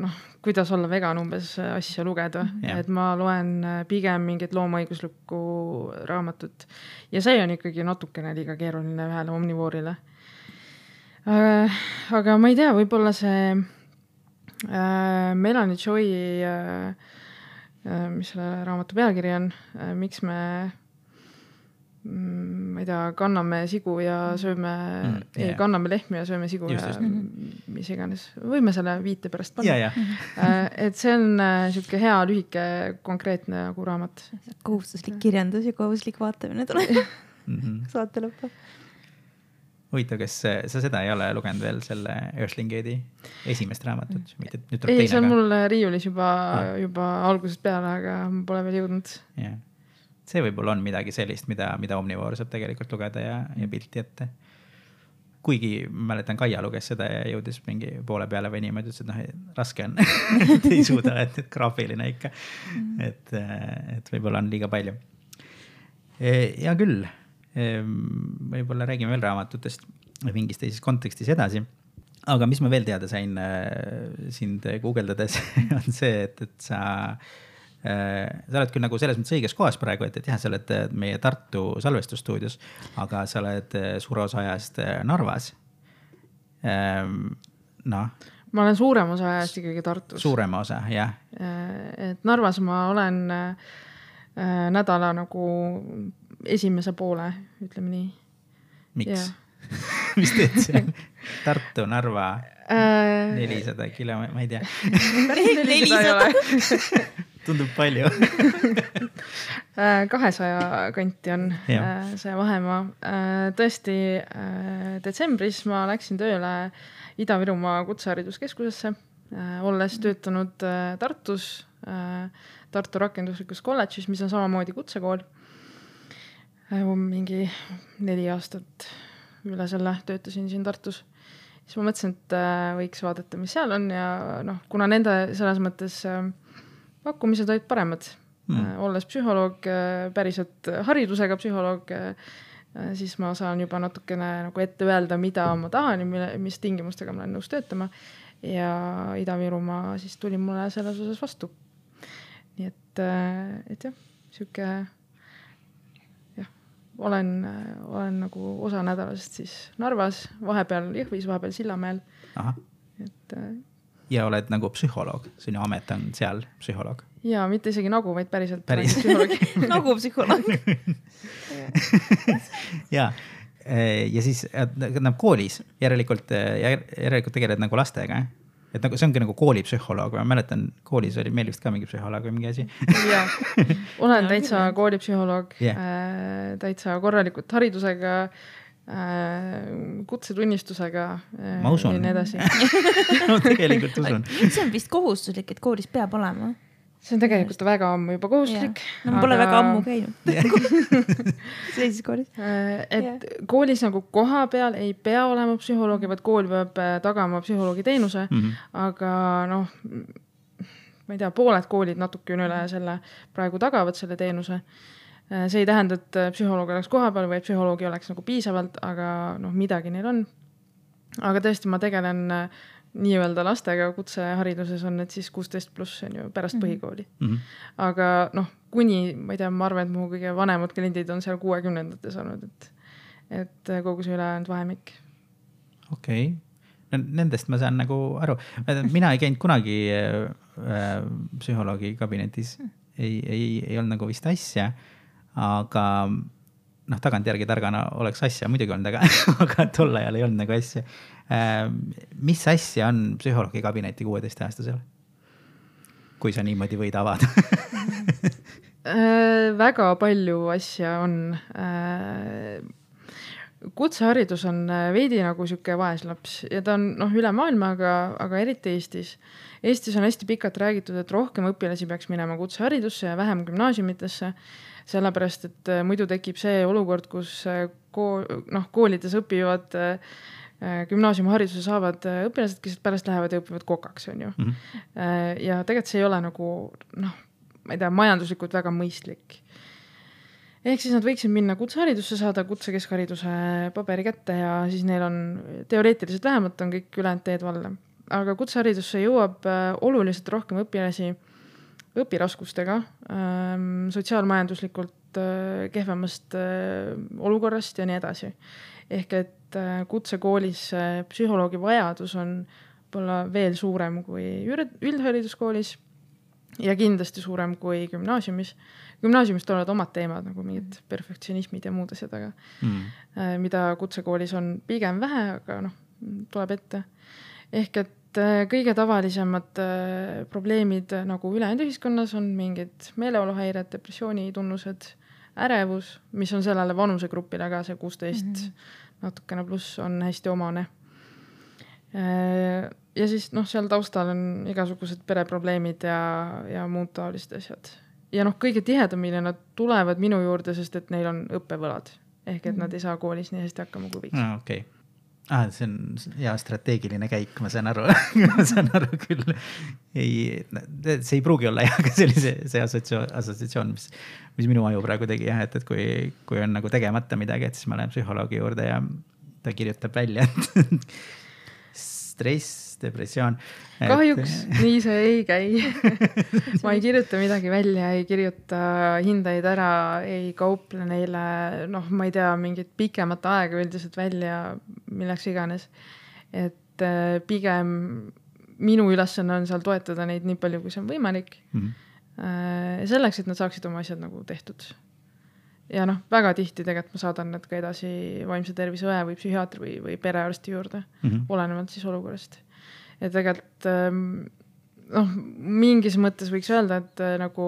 Speaker 2: noh, kuidas olla vegan umbes asja lugeda. Ja. Et ma loen pigem mingit loomaõiguslikku raamatut. Ja see on ikkagi natukene liiga keeruline ühele Omnivoorile. Äh, aga ma ei tea, võib-olla see äh, Melanie Joy äh, äh, mis selle raamatu pealkiri on, äh, miks me mm, ma ei tea, kanname sigu ja sööme mm, yeah. ei, kanname lehmi ja sööme sigu just, ja just. Mis iganes. Võime selle viite pärast panna.
Speaker 1: Yeah, yeah.
Speaker 2: äh, et see on äh, siuke hea, lühike, konkreetne nagu raamat.
Speaker 3: Kohustuslik kirjandus ja kohustuslik vaatamine tuleb mm-hmm. saate lõppu.
Speaker 1: Huvitav, kas sa seda ei ole lugenud veel selle Earthling Gate'i esimest raamatut? Mitte, nüüd
Speaker 2: ei, see on mul riiulis juba, juba algusest peale, aga ma pole veel jõudnud.
Speaker 1: Yeah. See võib-olla on midagi sellist, mida, mida Omnivoor saab tegelikult lugeda ja, ja pilti ette. Kuigi mäletan, Kaia luges seda ja jõudis mingi poole peale või niimoodi, et noh, raske on. ei suuda, et, et graafiline ikka. Et, et võib-olla on liiga palju. Ja küll. Võib-olla räägime veel raamatutest mingis teises kontekstis edasi. Aga mis ma veel teada sain sind guugeldades on see, et, et sa sa oled küll nagu selles mõttes õiges kohas praegu, et, et jah, sa oled meie Tartu salvestusstuudios, aga sa oled suure osa ajast Narvas. Noh.
Speaker 2: Ma olen suurem osa ajast ikkagi Tartus.
Speaker 1: Suurema osa, jah.
Speaker 2: Et Narvas ma olen nädala nagu esimese poole, ütleme nii.
Speaker 1: Miks? Mis teed seal? Tartu, Narva, nelisada kilomeetrit, ma ei tea.
Speaker 2: nelisada
Speaker 1: Tundub palju.
Speaker 2: kahesaja kanti on ja. See vahemaa. Tõesti, detsembris ma läksin tööle Ida-Virumaa kutsehariduskeskusesse, olles töötanud Tartus, Tartu rakenduslikus kolledžis, mis on samamoodi kutsekool. Mingi neli aastat üle selle töötasin siin Tartus. Siis ma mõtlesin, et võiks vaadata, mis seal on ja noh, kuna nende selles mõttes pakkumised olid paremad. Mm. Olles psühholoog, päriselt haridusega psühholoog, siis ma saan juba natukene nagu ette öelda, mida ma tahan ja mis tingimustega ma olen nõus töötama. Ja Ida-Virumaa siis tuli mulle selles osas vastu. Nii et, et jah, siuke, jah, olen, olen nagu osa nädalast siis Narvas, vahepeal Jõhvis, vahepeal Sillamäel.
Speaker 1: Aha.
Speaker 2: Et,
Speaker 1: ja oled nagu psühholoog, sinu amet on seal psühholoog.
Speaker 2: Ja mitte isegi nagu, vaid päriselt.
Speaker 1: Päris.
Speaker 3: Nagu psühholoog.
Speaker 1: ja, ja siis nad koolis järelikult, järelikult tegeled nagu lastega. Et nagu, see ongi nagu koolipsühholoog. Ma mäletan, koolis oli meil vist ka mingi psühholoog või mingi asi.
Speaker 2: ja, olen täitsa koolipsühholoog, yeah. täitsa korralikult haridusega, kutsetunnistusega
Speaker 1: ma usun.
Speaker 2: Ja nii edasi.
Speaker 1: no tegelikult usun.
Speaker 3: See on vist kohustuslik, et koolis peab olema.
Speaker 2: See on tegelikult väga ammu juba kohustuslik.
Speaker 3: Yeah. No, ma pole aga... väga ammu käinud. Seisis koolis.
Speaker 2: Et yeah. koolis nagu koha peal ei pea olema psühholoogi, vaid kool peab tagama psühholoogi teenuse, mm-hmm. aga noh, ma ei tea, pooled koolid natuke üle selle praegu tagavad selle teenuse. See ei tähenda, et psühholoog oleks koha peal või et psühholoogi oleks nagu piisavalt, aga noh, midagi neil on. Aga tõesti, ma tegelen nii-öelda lastega kutsehariduses on, et siis kuusteist pluss on ju pärast mm-hmm. põhikooli. Mm-hmm. Aga noh, kuni, ma ei tea, ma arvan, et mu kõige vanemad kliendid on seal kuuekümnendates olnud, et, et kogu see ülejäänud vahemik.
Speaker 1: Okei. Okay. Nendest ma saan nagu aru. Mina ei käinud kunagi äh, psühholoogi kabinetis. Ei, ei, ei olnud nagu vist asja. Aga noh, tagant järgi targana oleks asja muidugi olnud, aga, aga tol ajal ei olnud nagu asja. Mis asja on psühholoogi kabineti kuueteist aastasel? Kui sa niimoodi võid avada?
Speaker 2: Väga palju asja on. Kutseharidus on veidi nagu siuke vaeslaps ja ta on noh, üle maailma, aga, aga eriti Eestis. Eestis on hästi pikalt räägitud, et rohkem õpilasi peaks minema kutseharidusse ja vähem gümnaasiumitesse. Sellepärast, et muidu tekib see olukord, kus kool, noh, koolides õpivad gümnaasiumihariduse saavad õpilased, kes pärast lähevad ja õpivad kokaks, on ju. Mm-hmm. Ja tegelikult see ei ole nagu, noh, ma ei tea, majanduslikult väga mõistlik. Ehk siis nad võiksid minna kutseharidusse, saada kutsekeskhariduse paberi kätte ja siis neil on teoreetiliselt vähemalt on kõik ülejäänud teed valla. Aga kutseharidusse jõuab oluliselt rohkem õpilasi õpiraskustega, sotsiaalmajanduslikult kehvemast olukorrast ja nii edasi. Ehk et kutsekoolis psühholoogi vajadus on võib-olla veel suurem kui üldhariduskoolis ja kindlasti suurem kui gümnaasiumis. Gümnaasiumis tulevad omad teemad, nagu mingid perfektsionismid ja muud asjad, aga mm. mida kutsekoolis on pigem vähe, aga noh, tuleb ette. Ehk et kõige tavalisemad probleemid nagu ülejäänud ühiskonnas on mingid meeleoluhäired, depressiooni tunnused, ärevus, mis on sellele vanusegrupile ka see kuusteist mm-hmm. natukene pluss on hästi omane. Ja siis noh, seal taustal on igasugused pereprobleemid ja, ja muud taolist asjad. Ja noh, kõige tihedamini nad tulevad minu juurde, sest et neil on õppevõlad. Ehk et mm-hmm. nad ei saa koolis nii hästi hakkama kui võiks.
Speaker 1: No, okei. Okay. Ah, see on hea strateegiline käik, ma saan aru, ma saan aru küll. Ei, see ei pruugi olla jah, aga sellise see assotsiatsioon, mis, mis minu aju praegu tegi, jah, et, et kui, kui on nagu tegemata midagi, et siis ma lähen psühholoogi juurde ja ta kirjutab välja. stress, depressioon.
Speaker 2: Kahjuks et... nii see ei käi. Ma ei kirjuta midagi välja, ei kirjuta hindaid ära, ei kauple neile, noh, ma ei tea, mingit pikemat aega üldiselt välja, milleks iganes. Et pigem minu ülesanne on seal toetada neid nii palju, kui see on võimalik. Mm-hmm. Selleks, et nad saaksid oma asjad nagu tehtud. Ja noh, väga tihti tegelikult ma saadan need ka edasi vaimse tervise õe või psühhiaatri või, või perearsti juurde, mm-hmm. olenevalt siis olukorrast. Ja tegelikult noh, mingis mõttes võiks öelda, et nagu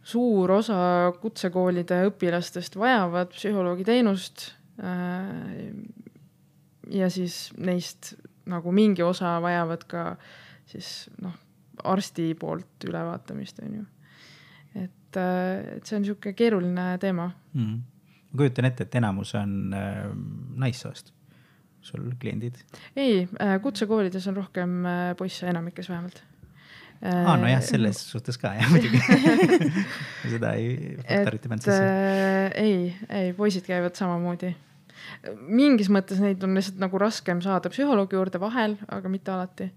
Speaker 2: suur osa kutsekoolide õpilastest vajavad psühholoogi teenust ja siis neist nagu mingi osa vajavad ka siis noh, arsti poolt ülevaatamist, on ju. Et et see on niisugune keeruline teema.
Speaker 1: Mm. Ma kujutan ette, et enamus on äh, naissoost sul kliendid?
Speaker 2: Ei, kutsekoolides on rohkem poisse, enamikes vähemalt.
Speaker 1: Aa, no jah, selles suhtes ka, jah, muidugi. Seda ei faktorite pänt sisse.
Speaker 2: Ei, ei, poisid käivad samamoodi. Mingis mõttes neid on lihtsalt nagu raskem saada psühholoogi juurde vahel, aga mitte alati.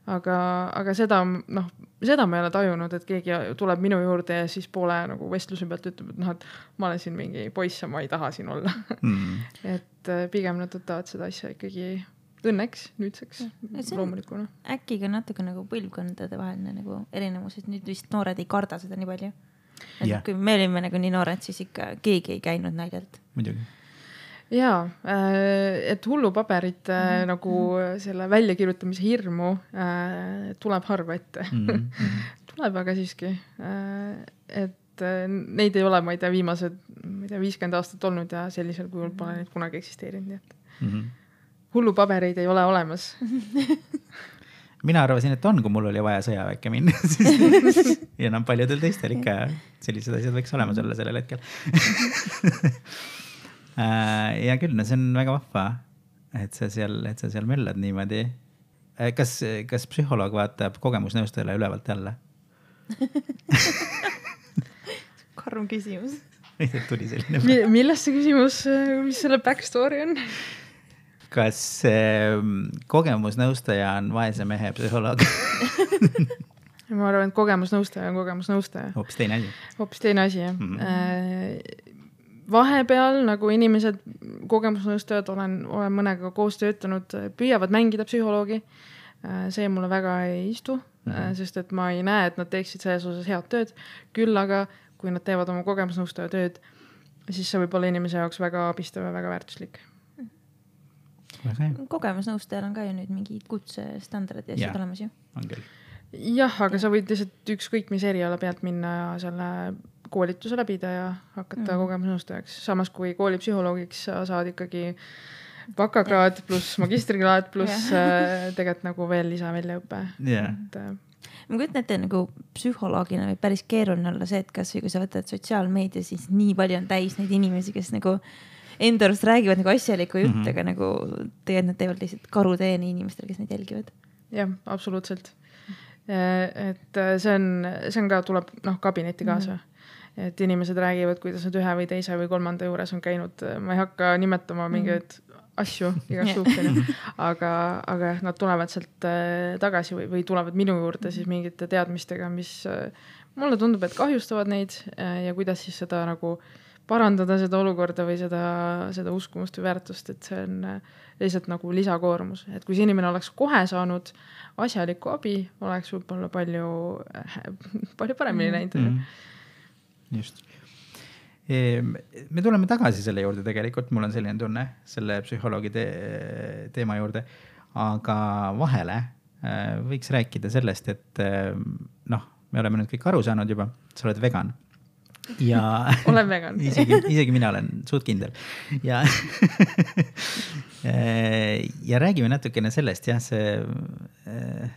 Speaker 2: Aga, aga seda, noh, seda ma ei ole tajunud, et keegi tuleb minu juurde ja siis poole nagu vestluse pealt ütleb, et noh, et ma olen siin mingi poiss ja ma ei taha siin olla. Mm. Et pigem nad võtavad seda asja ikkagi õnneks, nüüdseks, loomulikuna.
Speaker 3: Äkki ka natuke nagu põlvkondade vaheline nagu erinevus, et nüüd vist noored ei karda seda nii palju. Et yeah. Kui me olime nagu nii noored, siis ikka keegi ei käinud naljalt.
Speaker 1: Muidugi.
Speaker 2: Jaa, et hullupaberit mm-hmm. nagu selle väljakirjutamise hirmu äh, tuleb harva ette. Mm-hmm. Tuleb aga siiski. Äh, et neid ei ole, ma ei tea, viimased ma ei tea, viiskümmend aastat olnud ja sellisel kujul pole neid kunagi eksisteerinud. Et mm-hmm. hullupabereid ei ole olemas.
Speaker 1: Mina arvasin, et on, kui mul oli vaja sõjaväkke minna. Ja enam paljudel teistel ikka sellised asjad võiks olemas olla sellel hetkel. Ja küll, no see on väga vahva, et sa seal, et sa seal möllad niimoodi. Kas, kas psühholoog vaatab kogemusnõustajale ülevalt jälle?
Speaker 3: Karm küsimus.
Speaker 1: Tuli selline.
Speaker 2: Millest see küsimus, mis selle backstory on?
Speaker 1: Kas äh, kogemusnõustaja on vaese mehe psühholoog?
Speaker 2: Ma arvan, et kogemusnõustaja on kogemusnõustaja.
Speaker 1: Hoopis teine asi.
Speaker 2: Hoopis teine asi, jah. Mm-hmm. Vahepeal, nagu inimesed, kogemusnõustajad, olen, olen mõnega koos töötanud, püüavad mängida psühholoogi. See mulle väga ei istu, mm-hmm. sest et ma ei näe, et nad teeksid selles osas head tööd. Küll aga, kui nad teevad oma kogemusnõustaja tööd, siis see võib olla inimese jaoks väga abistav ja väga väärtuslik.
Speaker 3: Kogemusnõustajal on ka ju nüüd mingi kutsestandard ja asjad olemas ju.
Speaker 1: On küll.
Speaker 2: Jah, aga sa võid lihtsalt ükskõik mis eriala pealt minna ja selle koolituse läbida ja hakata mm. kogemusnõustajaks. Samas kui koolipsühholoogiks sa saad ikkagi bakakraad pluss magistrikraad pluss tegelikult nagu veel lisa väljaõppe.
Speaker 1: Yeah.
Speaker 3: Et, ma kujutan ette nagu psühholoogina või päris keeruline olla see, et kas või kui sa võtad sotsiaalmeedia, siis nii palju on täis neid inimesi, kes nagu enda arust räägivad nagu asjaliku jutt, mm-hmm. aga nagu tegelikult nad teevad lihtsalt karuteeni inimestele, kes neid jälgivad. Jah,
Speaker 2: absoluutselt. Et see on, see on ka, tuleb noh, kabinetti kaasa. Mm-hmm. Et inimesed räägivad, kuidas nad ühe või teise või kolmanda juures on käinud. Ma ei hakka nimetama mingeid asju igas suhtes, aga, aga nad tulevad sealt tagasi või, või tulevad minu juurde siis mingite teadmistega, mis mulle tundub, et kahjustavad neid ja kuidas siis seda nagu parandada seda olukorda või seda, seda uskumust või väärtust, et see on lihtsalt nagu lisakoormus. Et kui see inimene oleks kohe saanud asjaliku abi, oleks võib-olla palju, palju paremini näinud.
Speaker 1: Mm-hmm. Just. Me tuleme tagasi selle juurde tegelikult, mul on selline tunne selle psühholoogi te teema juurde, aga vahele võiks rääkida sellest, et noh, me oleme nüüd kõik aru saanud juba, sa oled vegan. Ja
Speaker 2: olen vegan.
Speaker 1: isegi, isegi mina olen suht kindel. Ja, ja räägime natukene sellest, jah, see,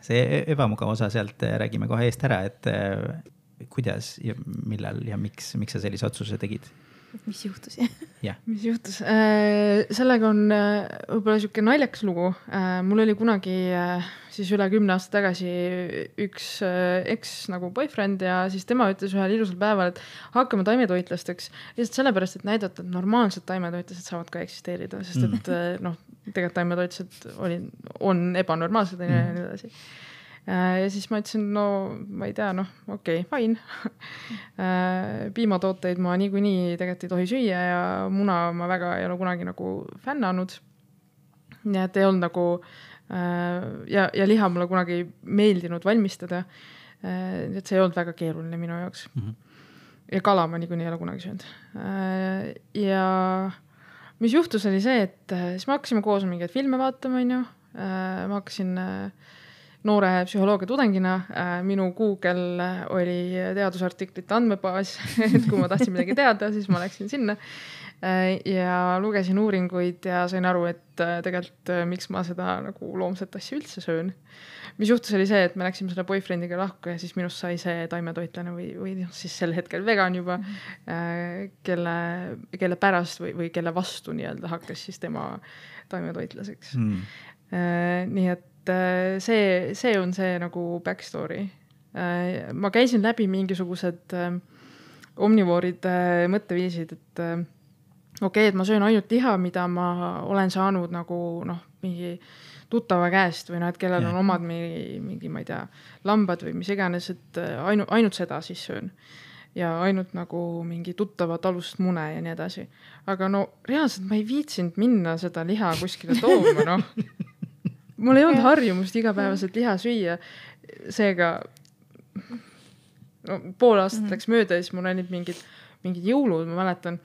Speaker 1: see ebamugav osa sealt räägime kohe eest ära, et kuidas ja millal ja miks, miks sa sellise otsuse tegid?
Speaker 3: mis juhtus?
Speaker 1: yeah.
Speaker 2: mis juhtus? Sellega on võib-olla siuke naljakas lugu. Mul oli kunagi siis üle kümne aasta tagasi üks eks nagu boyfriend ja siis tema ütles ühel ilusal päeval, et hakkame taimetoitlasteks. Lihtsalt sellepärast, et näidata, et normaalsed taimetoitlased saavad ka eksisteerida, sest et mm. noh, tegelikult taimetoitlased oli, on ebanormaalsed ja mm. nii edasi. Ja siis ma ütlesin, no ma ei tea, noh, okei, okay, fine. Piimatooteid ma niikuinii tegelikult ei tohi süüa ja muna ma väga ei ole kunagi nagu fännanud. Nii et ei olnud nagu ja, ja liha mulle kunagi meeldinud valmistada. Et see ei olnud väga keeruline minu jaoks. Mm-hmm. Ja kala ma niikuinii ei ole kunagi söönud. Ja mis juhtus oli see, et siis me hakkasime koos mingeid filme vaatama, on ju. Ma hakkasin noore psühholoogia tudengina. Minu Google oli teadusartiklite andmebaas, et kui ma tahtsin midagi teada, siis ma läksin sinna ja lugesin uuringuid ja sain aru, et tegelikult miks ma seda nagu loomset asja üldse söön. Mis juhtus oli see, et me läksime selle boyfriendiga lahku ja siis minust sai see taimetoitlane või, või siis sel hetkel vegan juba, mm. kelle, kelle pärast või, või kelle vastu nii-öelda hakkas siis tema taimetoitlaseks. Mm. Nii et see, see on see nagu backstory. Ma käisin läbi mingisugused omnivooride mõtteviisid, et okei, okay, et ma söön ainult liha, mida ma olen saanud nagu noh, mingi tuttava käest või noh, et kellel on omad mingi, mingi, ma ei tea, lambad või mis iganes, et ainu, ainult seda siis söön. Ja ainult nagu mingi tuttava talust mune ja nii edasi. Aga no reaalselt ma ei viitsinud minna seda liha kuskile tooma, noh. Mul ei olnud harjumust igapäevaselt liha süüa, seega no, pool aastat mm-hmm. läks mööda ja siis mul olid mingid, mingid jõulud, ma mäletan.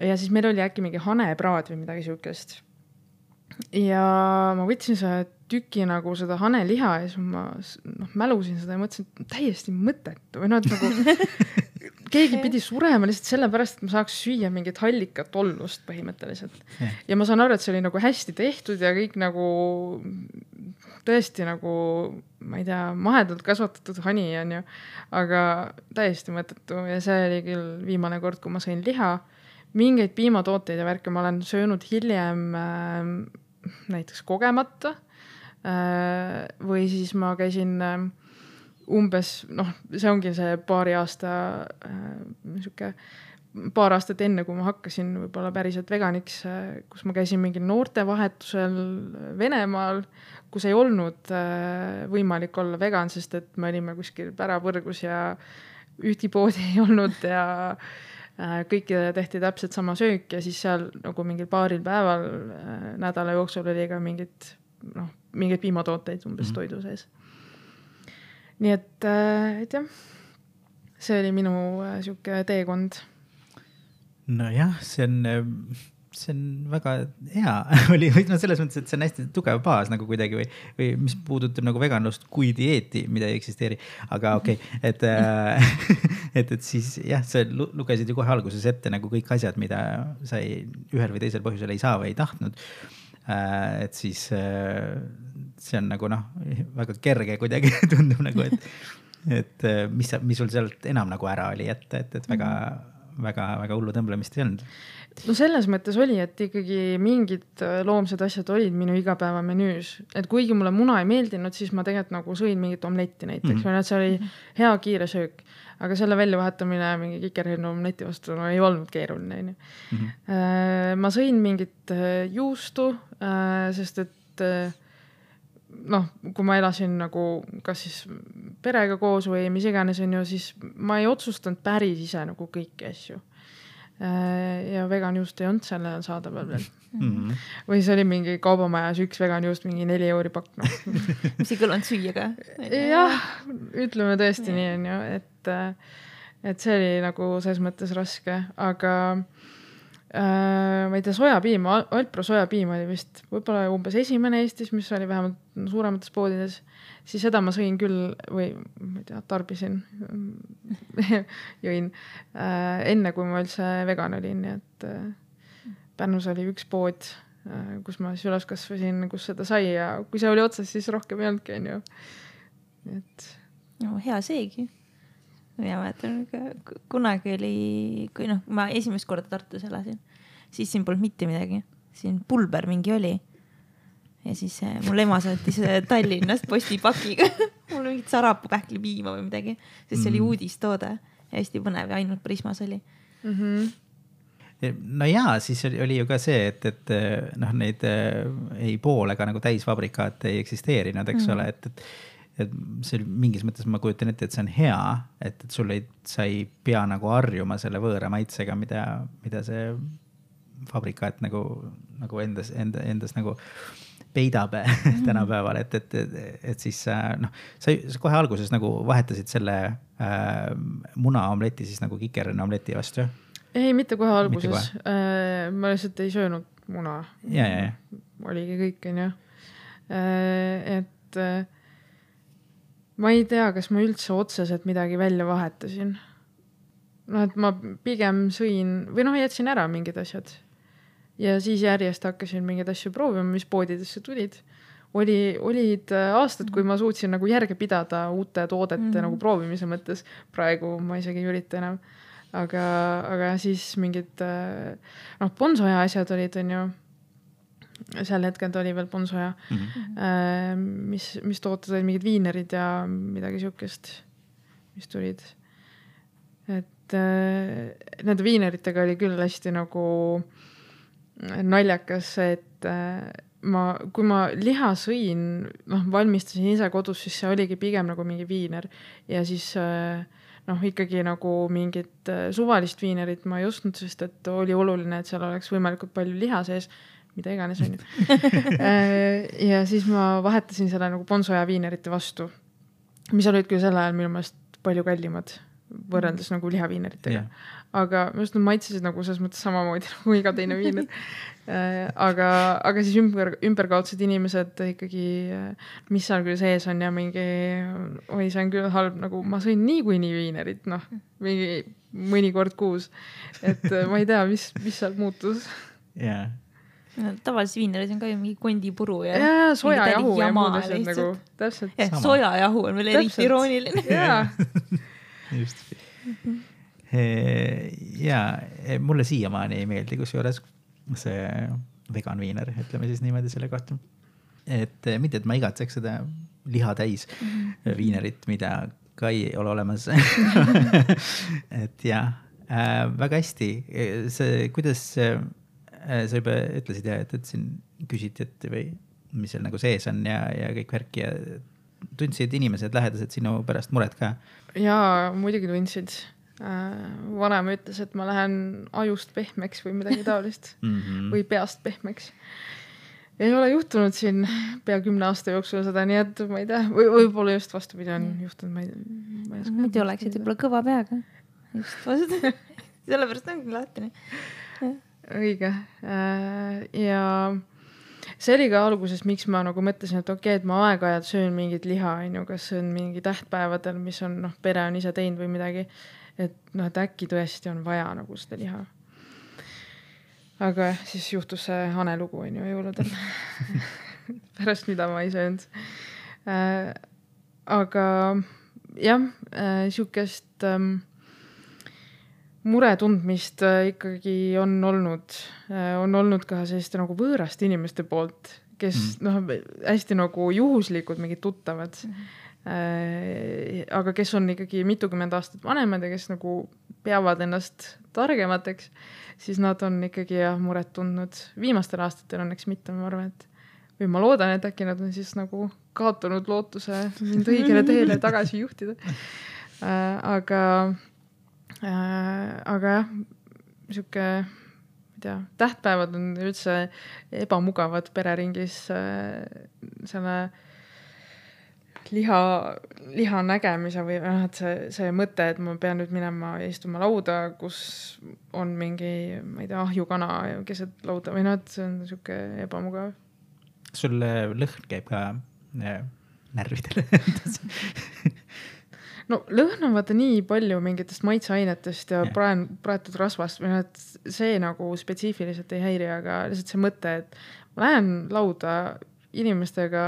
Speaker 2: Ja siis meil oli äkki mingi hanepraad või midagi siukest. Ja ma võtsin seda tüki nagu seda haneliha ja siis ma no, mälusin seda ja mõtlesin, et täiesti mõttetu. Või no, et nagu keegi pidi surema lihtsalt sellepärast, et ma saaks süüa mingit hallikat ollust põhimõtteliselt. Ja ma saan aru, et see oli nagu hästi tehtud ja kõik nagu tõesti nagu, ma ei tea, mahedalt kasvatatud hani on ju, aga täiesti mõttetu. Ja see oli küll viimane kord, kui ma sõin liha. Mingeid piimatooteid ja värke ma olen söönud hiljem äh, näiteks kogemata äh, või siis ma käisin äh, umbes, noh, see ongi see paari aasta äh, niisugune, paar aastat enne, kui ma hakkasin võib-olla päriselt veganiks, äh, kus ma käisin mingil noortevahetusel Venemaal, kus ei olnud äh, võimalik olla vegan, sest et me olime kuskil pärapõrgus ja ühtipoodi ei olnud ja kõikidele tehti täpselt sama söök ja siis seal nagu mingil paaril päeval äh, nädala jooksul oli ka mingid, noh, mingid piimatooteid umbes mm-hmm. toidu sees. Nii et, äh, et jah, see oli minu äh, siuke teekond.
Speaker 1: No jah, see on, see on väga hea oli, no selles mõttes, et see on hästi tugev baas nagu kuidagi või, või mis puudutab nagu veganlust kui dieeti, mida ei eksisteeri, aga okei, okay, et, et, et siis jah, sa lugesid ju kohe alguses ette nagu kõik asjad, mida sa ei, ühel või teisel põhjusel ei saa või ei tahtnud. Et siis see on nagu noh, väga kerge kuidagi tundub nagu, et, et mis, mis sul sealt enam nagu ära oli, et, et, et väga väga, väga hullu tõmblemist ei olnud.
Speaker 2: No selles mõttes oli, et ikkagi mingid loomsed asjad olid minu igapäeva menüüs. Et kuigi mulle muna ei meeldinud, siis ma tegelikult nagu sõin mingit omletti näiteks. Mm-hmm. Või see oli hea kiire söök. Aga selle väljavahetamine mingi kikerhirnu omleti vastu no, ei olnud keeruline. Mm-hmm. Ma sõin mingit juustu, sest et noh, kui ma elasin nagu kas siis perega koos või mis iganes on ju, siis ma ei otsustanud päris ise nagu kõiki asju. Ja veganjuust ei olnud selle saadaval veel. Mm-hmm. Või see oli mingi kaubamajas üks veganjuust, mingi neli euri pakk. No.
Speaker 3: mis ei kõlanud süüa ka?
Speaker 2: Jah, ütleme tõesti ja. Nii on ju, et, et see oli nagu selles mõttes raske, aga äh, ma ei tea, sojapiim, Alpro sojapiim oli vist võib-olla umbes esimene Eestis, mis oli vähemalt suuremates poodides. Siis seda ma sõin küll või ma ei tea, tarbisin, jõin äh, enne, kui ma üldse vegan olin. Nii et äh, Pärnus oli üks pood, äh, kus ma siis üles kasvasin, kus seda sai ja kui see oli otsas, siis rohkem ei olnudki, on ju. Et...
Speaker 3: No, hea seegi. mina mäletan, kunagi oli, kui noh, ma esimest korda Tartus elasin, siis siin polnud mitte midagi. Siin pulber mingi oli. Ja siis mul ema saatis Tallinnast postipakiga. Mul mingit sarapuu pähkli piima või midagi. Sest see oli uudistoode ja hästi põnev ja ainult Prismas oli.
Speaker 2: Mm-hmm.
Speaker 1: No jaa, siis oli, oli ju ka see, et, et noh, neid ei pool ega nagu täisfabrikaat ei eksisteerinud, eks mm-hmm. ole, et, et, et see oli mingis mõttes, ma kujutan ette, et see on hea, et, et sul ei, sa ei pea nagu harjuma selle võõra maitsega, mida, mida see fabrikaat nagu, nagu endas, enda, endas nagu peidab mm. tänapäeval, et, et, et, et siis noh, sa kohe alguses nagu vahetasid selle äh, munaomleti siis nagu kikerine omleti vastu.
Speaker 2: Ei, mitte kohe alguses. Mitte kohe. Äh, ma lihtsalt ei söönud muna.
Speaker 1: Ja, ja, ja.
Speaker 2: Oligi kõik, on ju. Äh, et äh, ma ei tea, kas ma üldse otseselt midagi välja vahetasin. No, et ma pigem sõin, või noh, jätsin ära mingid asjad. Ja siis järjest hakkasin mingeid asju proovima, mis poodidesse tulid. Oli, olid aastad, kui ma suutsin nagu järge pidada uute toodete mm-hmm. nagu proovimise mõttes. Praegu ma isegi ei ürita enam. Aga, aga siis mingid noh, ponsoja asjad olid, on ju. Sel hetkel oli veel ponsoja. Mm-hmm. Mis, mis tooted olid mingid viinerid ja midagi siukest, mis tulid. Et nende viineritega oli küll hästi nagu naljakas, et ma, kui ma liha sõin, noh, valmistasin ise kodus, siis see oligi pigem nagu mingi viiner. Ja siis noh, ikkagi nagu mingit suvalist viinerit ma ei ostnud, sest et oli oluline, et seal oleks võimalikult palju liha sees, mida iganes on. Ja siis ma vahetasin selle nagu ponsoja viinerite vastu, mis olid küll sel ajal minu meelest palju kallimad võrreldes mm. nagu lihaviineritega. Yeah. Aga just nad maitsesid nagu selles mõttes samamoodi nagu iga teine viiner. aga, aga siis ümber, ümberkaudsed inimesed ikkagi, mis seal küll sees on ja mingi, oi, see on küll halb, nagu ma sõin nii kui nii viinerit, noh, mingi mõni kord kuus. Et ma ei tea, mis, mis seal muutus.
Speaker 1: Yeah.
Speaker 3: No, tavaliselt viineris on ka ju mingi kondipuru ja,
Speaker 2: ja sojajahu ja muud asjad nagu, täpselt.
Speaker 3: Ja, sojajahu on veel eriti irooniline.
Speaker 2: Jaa.
Speaker 1: Just. Ja mulle siiamaani ei meeldi, kus juures see vegan viiner, ütleme siis niimoodi selle kohta. Et mitte, et ma igatseks seda liha täis mm-hmm. viinerit, mida ka ei ole olemas. Et jah, äh, väga hästi. See, kuidas äh, sa juba ütlesid, ja, et, et siin küsiti, et või mis seal nagu sees on ja, ja kõik värki ja tundsid inimesed lähedased sinu pärast muret ka?
Speaker 2: Jaa, muidugi tundsid. Vanem ütles, et ma lähen ajust pehmeks või midagi taolist mm-hmm. või peast pehmeks. Ei ole juhtunud siin pea kümne aasta jooksul seda, nii et ma ei tea, või võib-olla just vastupidi on juhtunud. Ma ei, ma ei
Speaker 3: Mitte oleksid võib-olla kõva peaga. Just vastu. Sellepärast ongi lahtine.
Speaker 2: Õige. Ja see oli ka alguses, miks ma nagu mõtlesin, et okei, et ma aeg-ajad söön mingit liha, kas see on mingi tähtpäevadel, mis on, noh, pere on ise teinud või midagi. Et noh, et äkki tõesti on vaja nagu seda liha. Aga siis juhtus see Hane lugu, on ju, jõuludel. Pärast mida ma ei söönud. Äh, aga jah, äh, siukest ähm, mure tundmist äh, ikkagi on olnud. Äh, on olnud ka selliste nagu võõrast inimeste poolt, kes mm. noh, hästi nagu juhuslikud mingid tuttavad. Mm. Äh, aga kes on ikkagi mitukümmend aastat vanemad ja kes nagu peavad ennast targemateks, siis nad on ikkagi jah, muret tundnud. Viimastel aastatel õnneks mitte, ma arvan, et või ma loodan, et äkki nad on siis nagu kaotanud lootuse mind õigele teele tagasi juhtida. Äh, aga äh, aga jah, siuke tea, tähtpäevad on üldse ebamugavad pereringis äh, selle liha, liha nägemise või et see, see mõte, et ma pean nüüd minema ja istuma lauda, kus on mingi, ma ei tea, ahjukana keset lauda või noh, et see on siuke ebamugav.
Speaker 1: Sul lõhn käib ka närvidele?
Speaker 2: No lõhn on vaata nii palju mingitest maitseainetest ja, ja. Praen, praetud rasvast või noh, et see nagu spetsiifiliselt ei häiri, aga lihtsalt see mõte, et ma lähen lauda inimestega,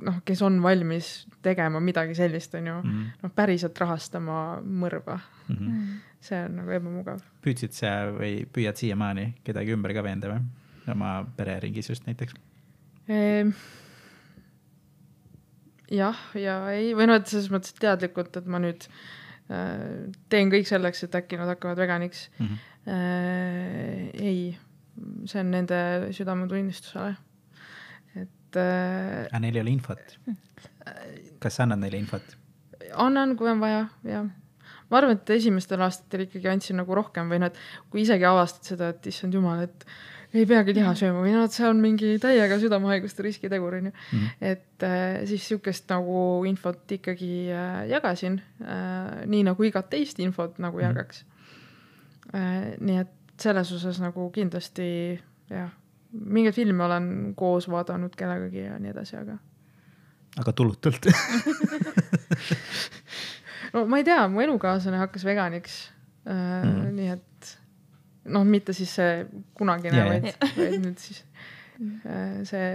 Speaker 2: noh, kes on valmis tegema midagi sellist, on ju,
Speaker 1: mm.
Speaker 2: noh, päriselt rahastama mõrva.
Speaker 1: Mm -hmm.
Speaker 2: see on nagu ebamugav.
Speaker 1: Püüdsid sa või püüad siiamaani kedagi ümber ka veenda või? Oma pereringis just näiteks?
Speaker 2: Ehm, jah, ja ei, või noh, et selles mõttes teadlikult, et ma nüüd äh, teen kõik selleks, et äkki nad hakkavad veganiks.
Speaker 1: Mm -hmm.
Speaker 2: äh, ei, see on nende südametunnistusele. Et äh,
Speaker 1: aga neil ei ole infot? Kas sa annad neile infot?
Speaker 2: Annan, kui on vaja, jah. Ma arvan, et esimestel aastatel ikkagi andsin nagu rohkem või noh, et kui isegi avastad seda, et issand jumal, et ei peagi liha sööma või noh, et see on mingi täiega südamehaiguste riskitegur, on ju. Mm. Et äh, siis sihukest nagu infot ikkagi äh, jagasin, äh, nii nagu igat teist infot nagu jagaks. Mm. Äh, nii et selles osas nagu kindlasti, jah, mingeid filme olen koos vaadanud kellegagi ja nii edasi, aga.
Speaker 1: Aga tulutult.
Speaker 2: No ma ei tea, mu elukaaslane hakkas veganiks, äh, mm. nii et noh, mitte siis see kunagine, yeah, vaid, vaid nüüd siis see,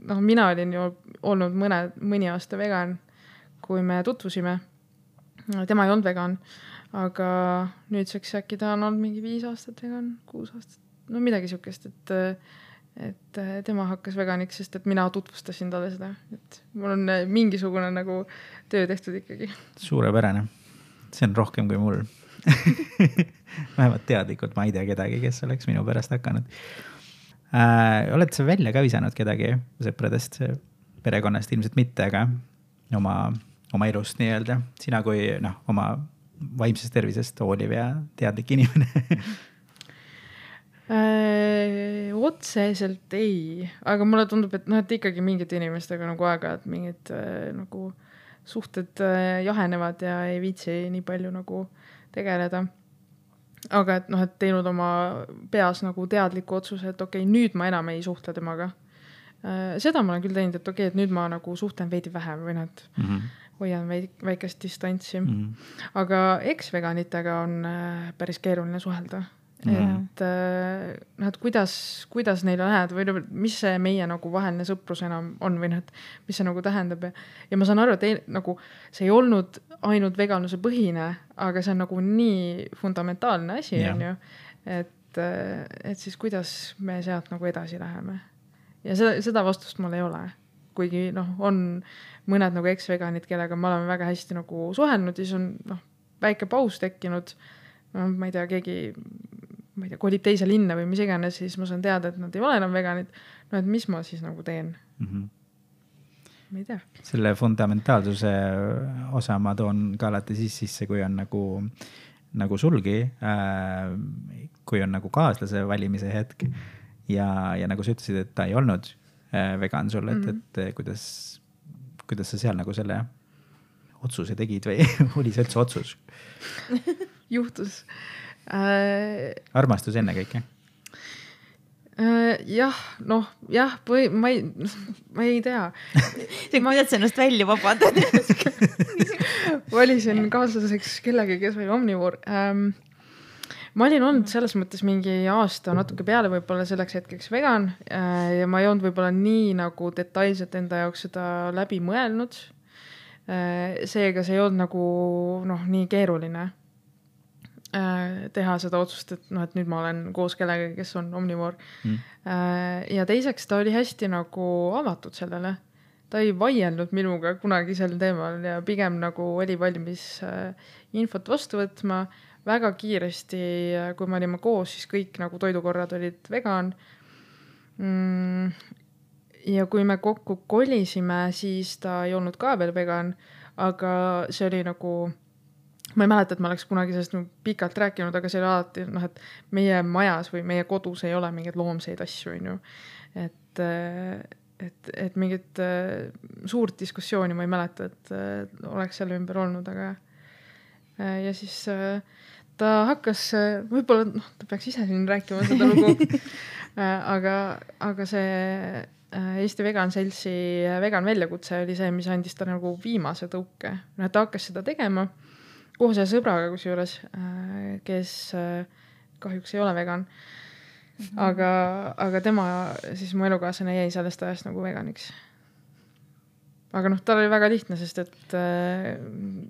Speaker 2: noh, mina olin ju olnud mõne, mõni aasta vegan, kui me tutvusime. Tema ei olnud vegan, aga nüüdseks äkki ta on olnud mingi viis aastat vegan, kuus aastat, no midagi sihukest, et, et tema hakkas veganiks, sest et mina tutvustasin talle seda, et mul on mingisugune nagu töö tehtud ikkagi.
Speaker 1: Suurepärane. See on rohkem kui mul. Vähemalt teadlikult ma ei tea kedagi, kes oleks minu pärast hakanud. Äh, oled sa välja ka visanud kedagi sõpradest, perekonnast ilmselt mitte, aga oma, oma elust nii-öelda. Sina kui noh, oma vaimsest tervisest hooliv ja teadlik inimene.
Speaker 2: äh, otseselt ei, aga mulle tundub, et noh, et ikkagi mingite inimestega nagu aega, et mingid äh, nagu suhted äh, jahenevad ja ei viitsi nii palju nagu tegeleda. Aga et noh, et teinud oma peas nagu teadliku otsuse, et okei, okay, nüüd ma enam ei suhtle temaga. Seda ma olen küll teinud, et okei, okay, et nüüd ma nagu suhtlen veidi vähem või nad mm -hmm. hoian väikest distantsi. Mm -hmm. Aga eks-veganitega on päris keeruline suhelda. Mm -hmm. Et noh, et kuidas, kuidas neile läheb või mis see meie nagu vaheline sõprus enam on või noh, et mis see nagu tähendab. Ja, ja ma saan aru, et ei, nagu see ei olnud ainult veganluse põhine, aga see on nagu nii fundamentaalne asi, yeah. on ju, et, et siis kuidas me sealt nagu edasi läheme. Ja seda, seda vastust mul ei ole. Kuigi noh, on mõned nagu eks-veganid, kellega me oleme väga hästi nagu suhelnud ja siis on noh, väike paus tekkinud. No, ma ei tea, keegi ma ei tea, kolib teise linna või mis iganes, siis ma saan teada, et nad ei ole enam veganid. No, et mis ma siis nagu teen? Mm -hmm. Ma ei tea.
Speaker 1: Selle fundamentaalsuse osa ma toon ka alati siis sisse, kui on nagu, nagu sulgi, äh, kui on nagu kaaslase valimise hetk ja, ja nagu sa ütlesid, et ta ei olnud äh, vegan sul, et, mm -hmm. et, et kuidas, kuidas sa seal nagu selle otsuse tegid või oli see üldse otsus?
Speaker 2: Juhtus. Äh,
Speaker 1: armastus enne kõike?
Speaker 2: Äh, jah, noh, jah, või ma ei, ma ei tea.
Speaker 3: Ma ei tea ennast välja vabandada.
Speaker 2: Valisin kaaslaseks kellegi, kes oli omnivoor. Ähm, ma olin olnud selles mõttes mingi aasta natuke peale võib-olla selleks hetkeks vegan äh, ja ma ei olnud võib-olla nii nagu detailselt enda jaoks seda läbi mõelnud. Äh, seega see ei olnud nagu noh, nii keeruline teha seda otsust, et noh, et nüüd ma olen koos kellega, kes on omnivoor. Mm. Ja teiseks ta oli hästi nagu avatud sellele. Ta ei vaielnud minuga kunagi sel teemal ja pigem nagu oli valmis infot vastu võtma. Väga kiiresti, kui me olime koos, siis kõik nagu toidukorrad olid vegan. Ja kui me kokku kolisime, siis ta ei olnud ka veel vegan, aga see oli nagu ma ei mäleta, et ma oleks kunagi sellest pikalt rääkinud, aga see oli alati, noh, et meie majas või meie kodus ei ole mingeid loomseid asju, on ju. Et, et, et mingit suurt diskussiooni ma ei mäleta, et oleks selle ümber olnud, aga ja siis ta hakkas, võib-olla noh, ta peaks ise siin rääkima seda lugu, aga, aga see Eesti Vegan Seltsi vegan väljakutse oli see, mis andis ta nagu viimase tõuke. No, ta hakkas seda tegema koos ja sõbraga kusjuures, kes kahjuks ei ole vegan. Aga, aga tema, siis mu elukaaslane jäi sellest ajast nagu veganiks. aga noh, tal oli väga lihtne, sest et äh,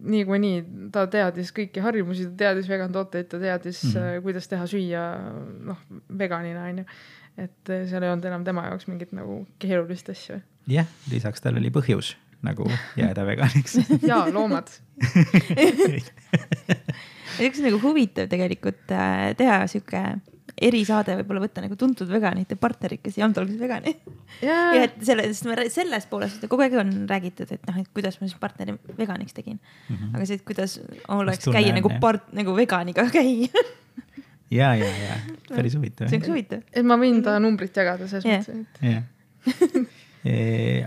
Speaker 2: nii kui nii ta teadis kõiki harjumusi, ta teadis vegan tooteid, ta teadis mm, -hmm. äh, kuidas teha süüa noh, veganina, on ju. Et äh, seal ei olnud enam tema jaoks mingit nagu keerulist asju.
Speaker 1: Jah, lisaks tal oli põhjus nagu jääda veganiks.
Speaker 2: Jaa, loomad.
Speaker 3: Üks nagu huvitav tegelikult äh, teha siuke erisaade, võib-olla võtta nagu tuntud veganite partnerid, kes ei olnud alguses vegani.
Speaker 2: Yeah.
Speaker 3: Ja et sellest, sellest poolest kogu aeg on räägitud, et noh, et kuidas ma siis partneri veganiks tegin. Mm -hmm. Aga see, et kuidas oleks käia nagu, part, nagu veganiga käia.
Speaker 1: ja, ja, ja. Päris huvitav.
Speaker 3: See on huvitav.
Speaker 2: Et ma võin ta numbrit jagada selles yeah. mõttes.
Speaker 1: jah.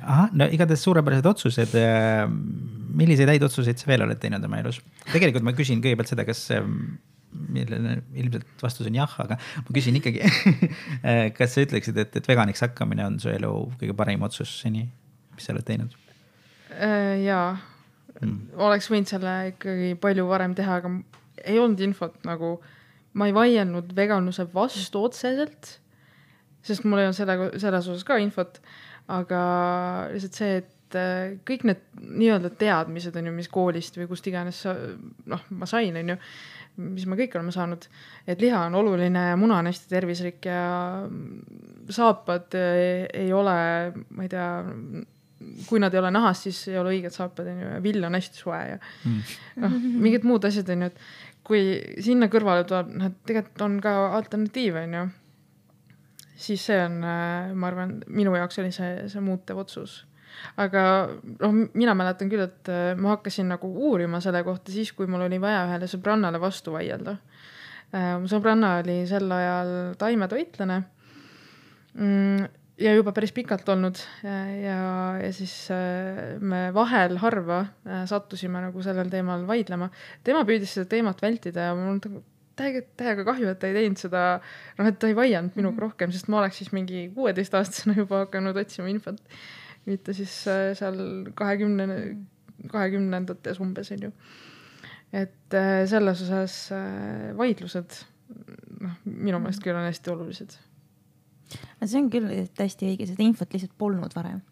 Speaker 1: Aha, no igatahes suurepärased otsused. Milliseid häid otsuseid sa veel oled teinud oma elus? Tegelikult ma küsin kõigepealt seda, kas millele ilmselt vastus on jah, aga ma küsin ikkagi, kas sa ütleksid, et, et veganiks hakkamine on su elu kõige parim otsus seni, mis sa oled teinud?
Speaker 2: Jaa, mm. oleks võinud selle ikkagi palju varem teha, aga ei olnud infot nagu, ma ei vaielnud veganluse vastu otseselt, sest mul ei olnud selle, selles osas ka infot, aga lihtsalt see, et kõik need nii-öelda teadmised on ju, mis koolist või kust iganes noh, ma sain, on ju, mis me kõik oleme saanud, et liha on oluline ja muna on hästi tervislik ja saapad ei ole, ma ei tea, kui nad ei ole nahast, siis ei ole õiged saapad, on ju, ja vill on hästi soe ja mm. noh, mingid muud asjad on ju, et kui sinna kõrvale tuleb, noh, tegelikult on ka alternatiiv, on ju, siis see on, ma arvan, minu jaoks oli see, see muutev otsus. Aga noh, mina mäletan küll, et ma hakkasin nagu uurima selle kohta siis, kui mul oli vaja ühele sõbrannale vastu vaielda. Mu sõbranna oli sel ajal taimetoitlane ja juba päris pikalt olnud ja, ja siis me vahel harva sattusime nagu sellel teemal vaidlema. Tema püüdis seda teemat vältida ja mul on täiega, täiega kahju, et ta ei teinud seda, noh, et ta ei vaianud minuga rohkem, sest ma oleks siis mingi kuueteist aastasena juba hakanud otsima infot. Mitte siis seal kahekümnendates umbes, on ju. Et selles osas vaidlused, noh, minu meelest küll on hästi olulised.
Speaker 3: See on küll täiesti õige, seda infot lihtsalt polnud varem.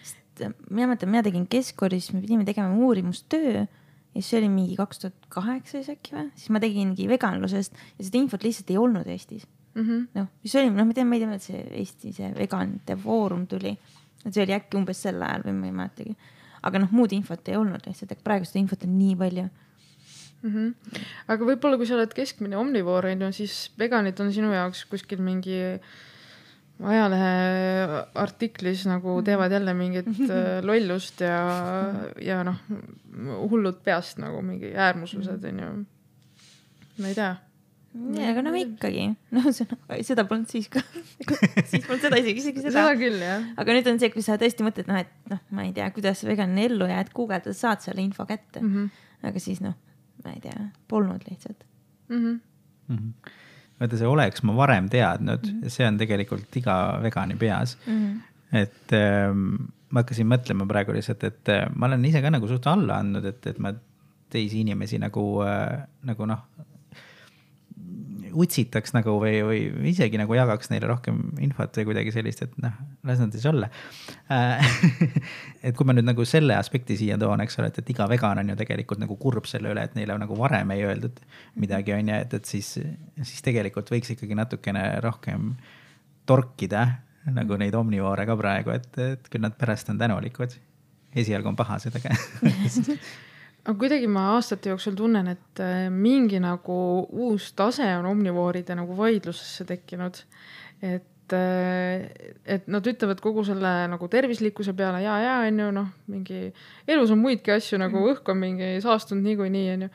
Speaker 3: Sest mina mõtlen, mina tegin keskkoolis, me pidime tegema uurimustöö ja see oli mingi kaks tuhat kaheksa siis äkki või? Siis ma tegingi veganlusest ja seda infot lihtsalt ei olnud Eestis. Mm -hmm. noh, mis oli, noh, ma tean, ma ei tea, et see Eesti, see veganite foorum tuli. Et see oli äkki umbes sel ajal või ma ei mäletagi. Aga noh, muud infot ei olnud lihtsalt, et praegu seda infot on nii palju.
Speaker 2: Mm -hmm. Aga võib-olla, kui sa oled keskmine omnivoor, siis veganid on sinu jaoks kuskil mingi ajalehe artiklis nagu teevad jälle mingit lollust ja, ja noh, hullud peast nagu mingi äärmuslused, on ju. Ma ei tea.
Speaker 3: Ja, aga noh ikkagi, no seda polnud siis ka, siis polnud seda isegi, isegi seda.
Speaker 2: Seda küll, jah.
Speaker 3: Aga nüüd on see, kui sa tõesti mõtled, noh, et noh, ma ei tea, kuidas veganine ellu ja et guugeldad saad selle info kätte. Mm -hmm. Aga siis noh, ma ei tea, polnud lihtsalt.
Speaker 2: Mm -hmm.
Speaker 1: Mm -hmm. Vaata, see oleks ma varem teadnud, mm -hmm. see on tegelikult iga vegani peas. Mm -hmm. Et ähm, ma hakkasin mõtlema praegu lihtsalt, et äh, ma olen ise ka nagu suht alla andnud, et, et ma teisi inimesi nagu, äh, nagu noh, utsitaks nagu või, või isegi nagu jagaks neile rohkem infot või kuidagi sellist, et noh, las nad siis olla. Et kui ma nüüd nagu selle aspekti siia toon, eks ole, et, et iga vegan on ju tegelikult nagu kurb selle üle, et neile nagu varem ei öeldud midagi, on ju, et, et siis, siis tegelikult võiks ikkagi natukene rohkem torkida nagu neid omnivoore ka praegu, et, et küll nad pärast on tänulikud. Esialgu on pahased, aga
Speaker 2: aga kuidagi ma aastate jooksul tunnen, et mingi nagu uus tase on omnivooride nagu vaidlusesse tekkinud. Et, et nad ütlevad kogu selle nagu tervislikkuse peale ja, ja, on ju, noh, mingi elus on muidki asju, nagu õhk on mingi saastunud nii kui nii, on ju.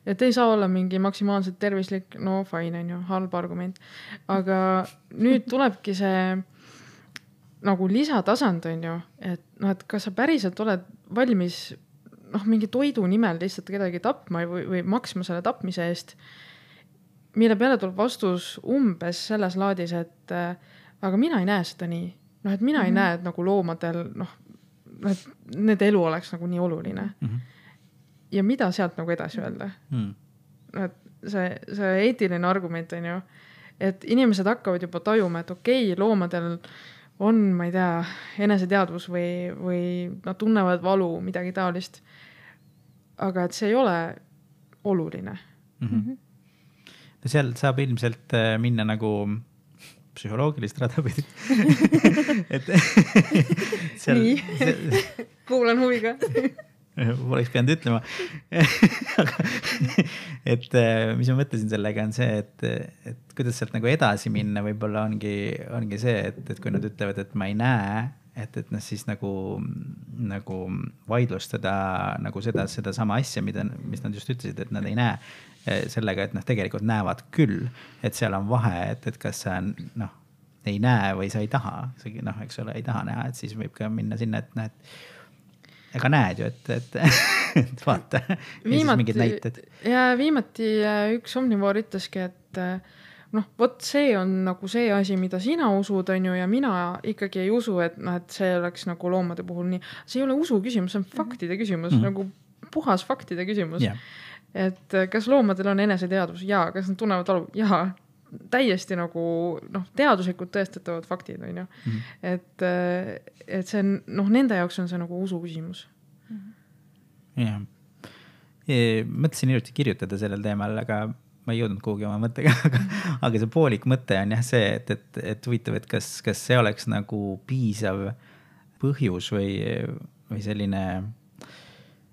Speaker 2: Et ei saa olla mingi maksimaalselt tervislik, no fine, on ju, halb argument. Aga nüüd tulebki see nagu lisatasand, on ju, et, no, et kas sa päriselt oled valmis noh, mingi toidu nimel lihtsalt kedagi tapma või, või maksma selle tapmise eest, mille peale tuleb vastus umbes selles laadis, et äh, aga mina ei näe seda nii. Noh, et mina mm -hmm. ei näe, et nagu loomadel, noh, et nende elu oleks nagu nii oluline. Mm -hmm. Ja mida sealt nagu edasi öelda? Mm -hmm. Et see, see eetiline argument on ju, et inimesed hakkavad juba tajuma, et okei, loomadel on, ma ei tea, eneseteadvus või, või nad tunnevad valu, midagi taolist. Aga et see ei ole oluline.
Speaker 1: Mm-hmm. No seal saab ilmselt minna nagu psühholoogilist rada pidi. et
Speaker 2: seal, nii, see... kuulan huviga.
Speaker 1: Poleks pidanud ütlema. Aga, et mis ma mõtlesin sellega on see, et, et kuidas sealt nagu edasi minna võib-olla ongi, ongi see, et, et kui nad ütlevad, et ma ei näe, et, et noh, siis nagu, nagu vaidlustada nagu seda, seda sama asja, mida, mis nad just ütlesid, et nad ei näe sellega, et noh, tegelikult näevad küll, et seal on vahe, et, et kas sa noh, ei näe või sa ei taha, noh, eks ole, ei taha näha, et siis võib ka minna sinna, et noh, et ega näed ju, et, et, et vaata.
Speaker 2: Viimati, ja viimati üks omnivoor ütleski, et noh, vot see on nagu see asi, mida sina usud, on ju, ja mina ikkagi ei usu, et, noh, et see oleks nagu loomade puhul nii. See ei ole usu küsimus, see on faktide küsimus, mm-hmm. nagu puhas faktide küsimus. Yeah. Et kas loomadel on eneseteadvus? Jaa. Kas nad tunnevad valu? Jaa. Täiesti nagu noh, teaduslikult tõestatavad faktid, on ju. Mm-hmm. Et, et see noh, nende jaoks on see nagu usu küsimus.
Speaker 1: Mm-hmm. Jah. Mõtlesin hiljuti kirjutada sellel teemal, aga ma ei jõudnud kuhugi oma mõttega, aga, aga see poolik mõte on jah see, et, et, et huvitav, et kas, kas see oleks nagu piisav põhjus või, või selline...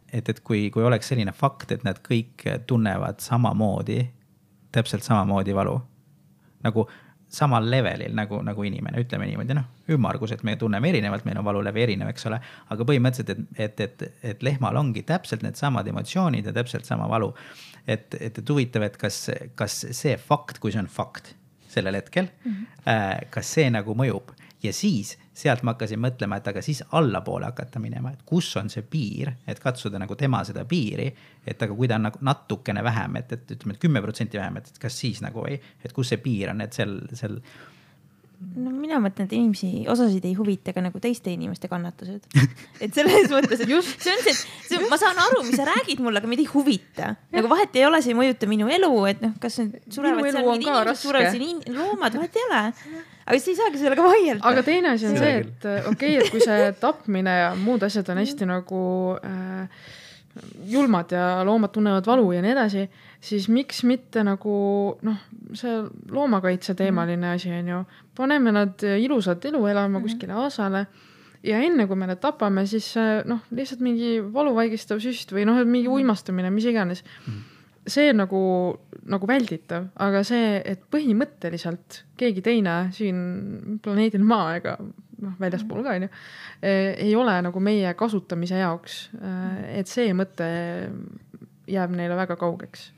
Speaker 1: et, et kui, kui oleks selline fakt, et nad kõik tunnevad samamoodi, täpselt samamoodi valu, nagu samal levelil nagu, nagu inimene, ütleme niimoodi, noh, ümmargus, et me tunneme erinevalt, meil on valulevi erinev, eks ole, aga põhimõtteliselt, et, et, et, et lehmal ongi täpselt need samad emotsioonid ja täpselt sama valu. Et, et, et huvitav, et kas, kas see fakt, kui see on fakt sellel hetkel, mm-hmm. äh, kas see nagu mõjub ja siis sealt ma hakkasin mõtlema, et aga siis allapoole hakata minema, et kus on see piir, et katsuda nagu tema seda piiri, et aga kui ta on nagu natukene vähem, et, et ütleme, et kümme protsenti vähem, et kas siis nagu ei, et kus see piir on, et seal, seal...
Speaker 3: No mina mõtlen, et inimesi osasid ei huvita ka nagu teiste inimeste kannatused. Et selles mõttes, et just see on see, see, ma saan aru, mis sa räägid mulle, aga meid ei huvita. Nagu vahet ei ole, see ei mõjuta minu elu, et noh, kas surevad seal mingid inimesed, surevad siin loomad, vahet ei ole. Aga siis ei saagi sellega vaielda.
Speaker 2: Aga teine asi on see, et okei, okay, et kui see tapmine ja muud asjad on hästi nagu äh, julmad ja loomad tunnevad valu ja nii edasi, siis miks mitte nagu noh, see loomakaitse teemaline asi on ju. Paneme nad ilusat elu elama kuskile aasale ja enne kui me nad tapame, siis noh, lihtsalt mingi valuvaigistav süst või noh, mingi uimastumine, mis iganes. See on nagu, nagu välditav, aga see, et põhimõtteliselt keegi teine siin planeedil Maa ega noh, väljaspool ka, on ju, ei ole nagu meie kasutamise jaoks, et see mõte jääb neile väga kaugeks.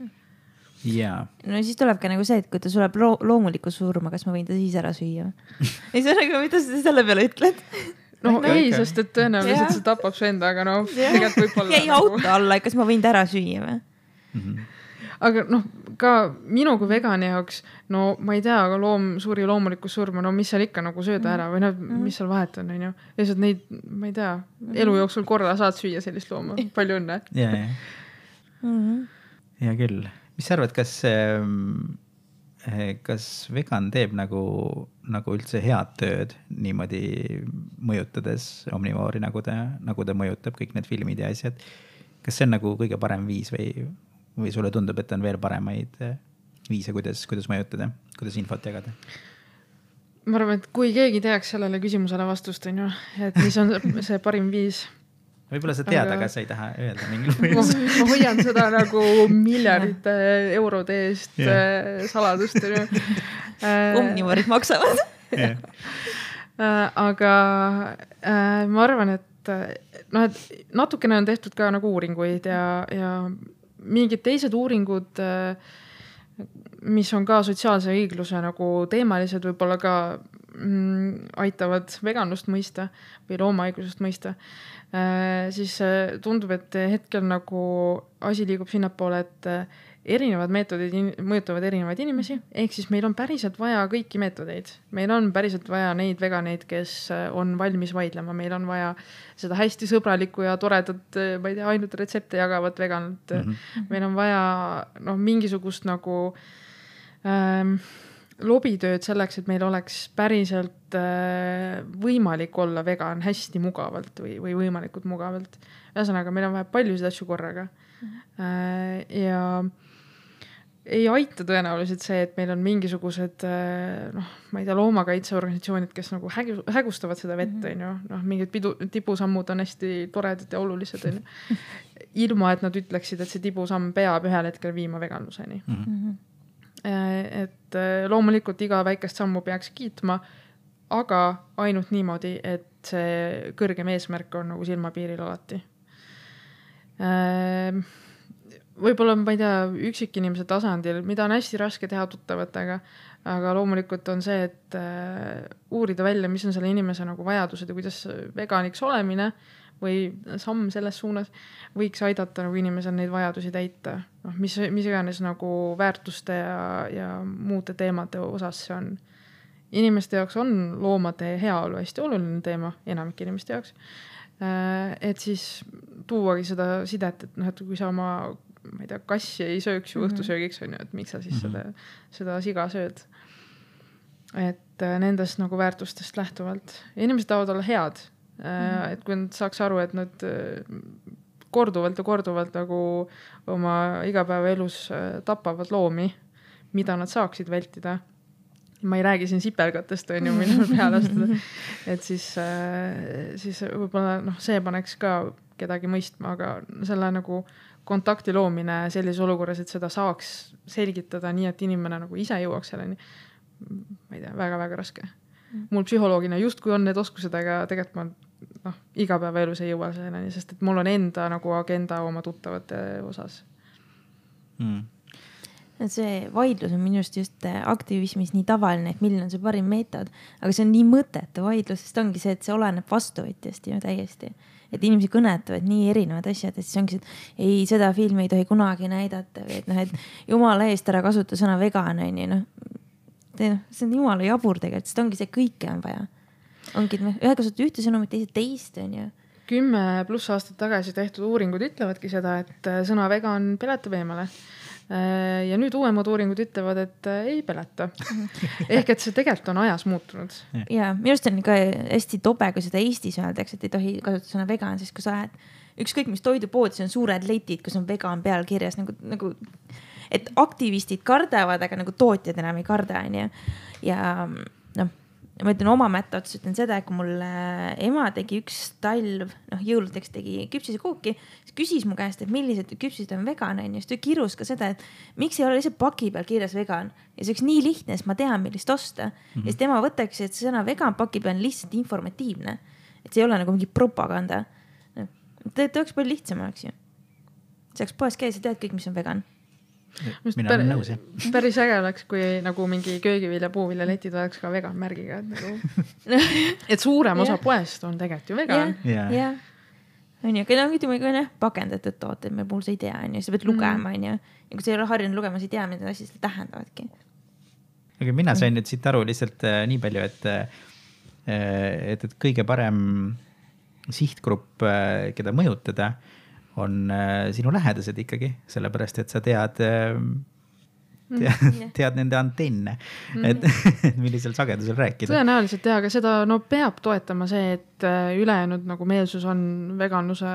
Speaker 1: Yeah.
Speaker 3: No siis tuleb ka nagu see, et kui ta sureb lo- loomuliku surma, kas ma võin ta siis ära süüa? Ei saa nagu, mida sa selle peale ütled?
Speaker 2: No okay, ei, okay. Sest et tõenäoliselt see tapab su enda, aga no tegelikult võib-olla...
Speaker 3: Jäi nagu... auto alla, kas ma võin ta ära süüa või?
Speaker 1: Mm-hmm.
Speaker 2: Aga noh, ka minu kui vegani jaoks, no ma ei tea, aga loom suri loomuliku surma, no mis seal ikka nagu sööda ära või no, mis seal vahet on, on ju. Lihtsalt neid, ma ei tea, elu jooksul korra saad süüa sellist looma. Palju õnne.
Speaker 1: Ja, ja. Mm-hmm. Ja küll. Mis sa arvad, kas, kas vegan teeb nagu, nagu üldse head tööd niimoodi mõjutades omnivoori, nagu ta, nagu ta mõjutab kõik need filmid ja asjad? Kas see on nagu kõige parem viis või... või sulle tundub, et on veel paremaid viise, kuidas, kuidas mõjutada, kuidas infot jagada?
Speaker 2: Ma arvan, et kui keegi teaks sellele küsimusele vastust, on ju, et mis on see parim viis.
Speaker 1: Võib-olla sa tead, aga sa ei taha öelda mingil põhjusel.
Speaker 2: Ma hoian seda nagu miljardite eurode eest yeah. saladust.
Speaker 3: Omnivoorid maksavad.
Speaker 1: yeah.
Speaker 2: Aga ma arvan, et, no, et natukene on tehtud ka nagu uuringuid ja, ja mingid teised uuringud, mis on ka sotsiaalse õigluse nagu teemalised, võib-olla ka mm, aitavad veganlust mõista või loomaõiglusest mõista, siis tundub, et hetkel nagu asi liigub sinnapoole, et erinevad meetodid in- mõjutavad erinevaid inimesi, ehk siis meil on päriselt vaja kõiki meetodeid. Meil on päriselt vaja neid veganeid, kes on valmis vaidlema. Meil on vaja seda hästi sõbralikku ja toredat, ma ei tea, ainult retsepte jagavat veganat. Mm-hmm. Meil on vaja no, mingisugust nagu ähm, lobitööd selleks, et meil oleks päriselt võimalik olla vegan hästi mugavalt või, või võimalikult mugavalt. Ühesõnaga, meil on vaja paljusid asju korraga. Mm-hmm. Ja ei aita tõenäoliselt see, et meil on mingisugused, noh, ma ei tea, loomakaitseorganisatsioonid, kes nagu hägu, hägustavad seda vett, on ju. Noh, mingid pidu, tipusammud on hästi toredad ja olulised, on ju. Ilma, et nad ütleksid, et see tipusamm peab ühel hetkel viima veganluseni. Mm-hmm. Et loomulikult iga väikest sammu peaks kiitma, aga ainult niimoodi, et see kõrgem eesmärk on nagu silmapiiril alati. Võib-olla, ma ei tea, üksikinimese tasandil, mida on hästi raske teha tuttavatega, aga loomulikult on see, et uurida välja, mis on selle inimese nagu vajadused ja kuidas veganiks olemine või samm selles suunas võiks aidata nagu inimesel neid vajadusi täita. No, mis, mis iganes nagu väärtuste ja, ja muude teemade osas see on. Inimeste jaoks on loomade heaolu hästi oluline teema, enamik inimeste jaoks. Et siis tuuagi seda sidet, et, noh, et kui sa oma, ma ei tea, kassi ei sööks ju õhtusöögiks, on ju, et miks sa siis mm-hmm. seda, seda siga sööd. Et nendest nagu väärtustest lähtuvalt. Inimesed tahavad olla head. Mm-hmm. Et kui nad saaks aru, et nad korduvalt ja korduvalt nagu oma igapäeva elus tapavad loomi, mida nad saaksid vältida. Ma ei räägi siin sipelgatest, on ju, mille peale astuda. Et siis, siis võib-olla noh, see paneks ka kedagi mõistma, aga selle nagu kontakti loomine sellises olukorras, et seda saaks selgitada nii, et inimene nagu ise jõuaks selleni. Ma ei tea, väga-väga raske. Mul psühholoogina just kui on need oskused, aga tegelikult ma noh, igapäeva elus ei jõua selleni, sest et mul on enda nagu agenda oma tuttavate osas.
Speaker 3: Mm. See vaidlus on minust just aktivismis nii tavaline, et milline on see parim meetod, aga see on nii mõttetu vaidlus, sest ongi see, et see oleneb vastuvõtjast ju täiesti. Et inimesi kõnetavad nii erinevad asjad, et siis ongi see, et ei, seda filmi ei tohi kunagi näidata või et noh, et jumala eest ära kasuta sõna vegan, on ju, noh. See on jumala jabur tegelikult, sest ongi see, kõike on vaja. Ongi, et ühe kasutada ühte sõnumit, teised teist, on ju.
Speaker 2: Kümme pluss aastat tagasi tehtud uuringud ütlevadki seda, et sõna vegan peletab eemale. Ja nüüd uuemad uuringud ütlevad, et ei peleta. Ehk et see tegelikult on ajas muutunud.
Speaker 3: Ja minu arust on ka hästi tobe, kui seda Eestis öeldaks, et ei tohi kasutada sõna vegan, siis kui sa lähed ükskõik mis toidupoodis on suured letid, kus on vegan peal kirjas, nagu, nagu, et aktivistid kardavad, aga nagu tootjad enam ei karda, on ju. Ja noh, ma ütlen oma mätta otsas, ütlen seda, et kui mul ema tegi üks talv, noh jõuludeks tegi küpsise kooki, siis küsis mu käest, et millised küpsised on vegan, on ju. Siis ta kirus ka seda, et miks ei ole lihtsalt paki peal kirjas vegan. Ja see oleks nii lihtne, sest ma tean, millist osta. Mm-hmm. Ja siis tema võtaks, et see sõna vegan paki peal on lihtsalt informatiivne. Et see ei ole nagu mingi propaganda. Ta oleks palju lihtsam oleks ju. See oleks poes käes ja tead kõik, mis on vegan.
Speaker 1: Mina olen nõus, jah.
Speaker 2: Päris äge oleks, kui nagu mingi köögivilja, puuvilja letid oleks ka vegan märgiga. Et, nagu, et suurem osa yeah. poest on tegelikult ju vegan.
Speaker 3: Jah, yeah. yeah. on ju, aga ütleme ka pakendatud tooted, meil puhul sa ei tea, on ju, sa pead lugema, on ju. Ja kui sa ei ole harjunud lugema, sa ei tea, mida need asjad tähendavadki.
Speaker 1: Aga mina sain nüüd siit aru lihtsalt äh, nii palju, et, et, et kõige parem sihtgrupp, äh, keda mõjutada, on äh, sinu lähedased ikkagi, sellepärast, et sa tead, äh, tead, tead nende antenne, et millisel sagedusel rääkida.
Speaker 2: Tõenäoliselt teha, aga seda no, peab toetama see, et ülejäänud nagu meelsus on veganluse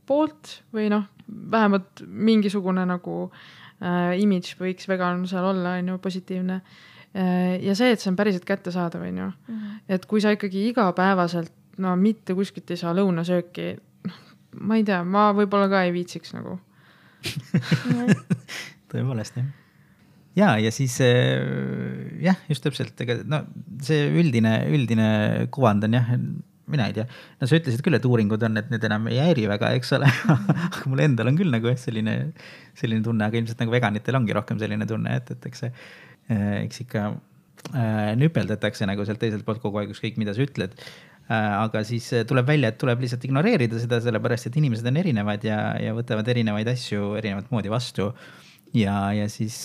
Speaker 2: poolt või noh, vähemalt mingisugune nagu äh, imidž võiks veganlusel olla, on ju, positiivne. Äh, ja see, et see on päriselt kätte saada, on ju. Mm-hmm. Et kui sa ikkagi igapäevaselt, no mitte kuskilt ei saa lõunasööki, ma ei tea, ma võib-olla ka ei viitsiks nagu.
Speaker 1: Tõepoolest, jah. Ja, ja siis jah, just täpselt, ega, no, see üldine, üldine kuvand on jah, mina ei tea. No sa ütlesid küll, et uuringud on, et need enam ei häiri väga, eks ole. Aga mul endal on küll nagu selline, selline tunne, aga ilmselt nagu veganitel ongi rohkem selline tunne, et, et eks, eks ikka äh, nüpeldatakse nagu sealt teiselt poolt kogu aeg, ükskõik mida sa ütled. Aga siis tuleb välja, et tuleb lihtsalt ignoreerida seda, sellepärast, et inimesed on erinevad ja, ja võtavad erinevaid asju erinevat moodi vastu. Ja, ja siis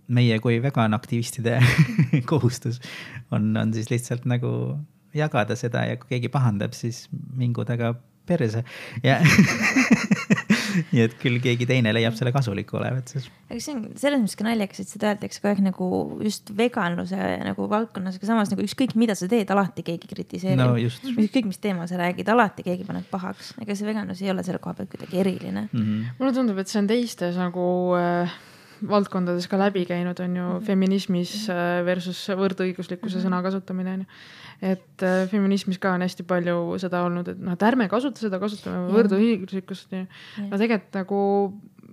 Speaker 1: meie kui veganaktivistide kohustus on, on siis lihtsalt nagu jagada seda ja kui keegi pahandab, siis mingu taga perse. Ja nii et küll keegi teine leiab selle kasulik olevat.
Speaker 3: Aga see on selles mõttes ka naljakas, et seda öeldakse kogu aeg nagu just veganluse nagu valdkonnas, aga samas nagu ükskõik mida sa teed, alati keegi kritiseerib.
Speaker 1: No just.
Speaker 3: Ükskõik mis teema sa räägid, alati keegi paneb pahaks. Ega see veganlus ei ole selle koha pealt kuidagi eriline.
Speaker 1: Mm-hmm.
Speaker 2: Mulle tundub, et see on teistes nagu äh, valdkondades ka läbi käinud, on ju mm-hmm. feminismis versus võrdõiguslikkuse mm-hmm. sõna kasutamine. On ju. Et äh, feminismis ka on hästi palju seda olnud, et, no, et ärme kasuta seda, kasutame võrdõiguslikkust. No tegelikult nagu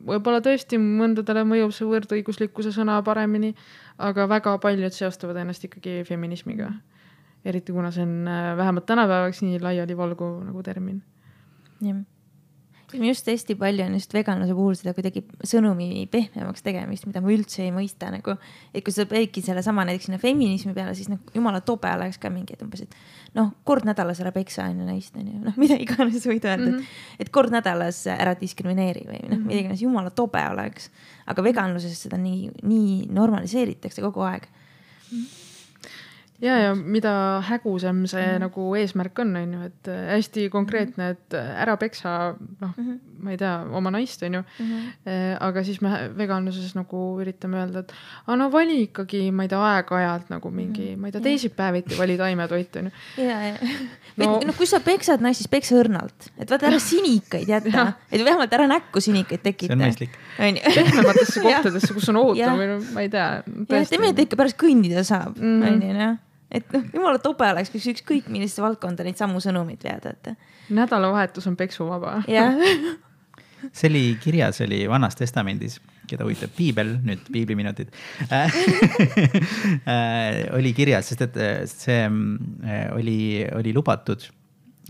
Speaker 2: võib-olla tõesti mõndadele mõjub see võrdõiguslikkuse sõna paremini, aga väga paljud seostavad ennast ikkagi feminismiga. Eriti kuna see on vähemalt tänapäevaks nii laiali valgu nagu termin.
Speaker 3: Jah. Just hästi palju on just veganluse puhul seda kuidagi sõnumi pehmemaks tegemist, mida ma üldse ei mõista. Nagu, et kui sa peidki selle sama näiteks sinna feminismi peale, siis nagu, jumala tobe oleks ka mingi, et umbes, et noh, kord nädalas ära peksa on ju naist, on ju, noh, mida iganes võid öelda, mm -hmm. et, et kord nädalas ära diskrimineeri või noh, mida iganes jumala tobe oleks. Aga veganluses seda nii, nii normaliseeritakse kogu aeg. Mm -hmm.
Speaker 2: Ja, ja mida hägusem see mm-hmm. nagu eesmärk on, on ju, et hästi konkreetne, et ära peksa, noh, mm-hmm. ma ei tea, oma naist, on ju, mm-hmm. aga siis me veganluses nagu üritame öelda, et a, no vali ikkagi, ma ei tea, aeg-ajalt nagu mingi, mm-hmm. ma ei tea, teisipäeviti vali taimetoit, on ju.
Speaker 3: Ja, ja. No, no kui sa peksad naist, siis peksa õrnalt, et vaata ära sinikaid jätta, et vähemalt ära näkku sinikaid tekita.
Speaker 1: See on mõistlik.
Speaker 2: Pehmematesse kohtadesse, kus on ootam või no, ma ei tea.
Speaker 3: Ja, teeme, et ikka pärast kõndida saab, mm-hmm. on ju, noh. Et noh, jumala tobe oleks, kus ükskõik milliste valdkonda neid sammu sõnumid veada. Et...
Speaker 2: Nädalavahetus on peksuvaba.
Speaker 3: Yeah.
Speaker 1: See oli kirjas, oli Vanas Testamendis, keda huvitab piibel, nüüd piibliminutid, oli kirjas, sest et see oli, oli lubatud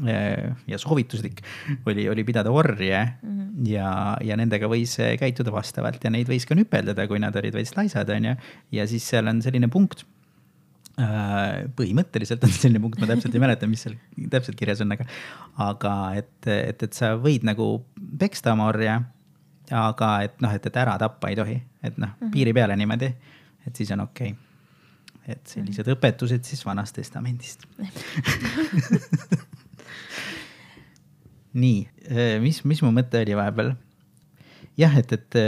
Speaker 1: ja soovituslik oli, oli pidada orje mm-hmm. ja, ja nendega võis käituda vastavalt ja neid võis ka nüpeldada, kui nad olid veits laisad. On ja, ja siis seal on selline punkt, põhimõtteliselt on selline punkt, ma täpselt ei mäleta, mis seal täpselt kirjas on, aga, aga et, et, et sa võid nagu peksta oma orja, aga et noh, et, et ära tappa ei tohi, et noh, mm-hmm. piiri peale niimoodi, et siis on okei okay. Et sellised mm-hmm. õpetused siis Vanast Testamendist. Nii, mis, mis mu mõte oli vahepeal? Jah, et, et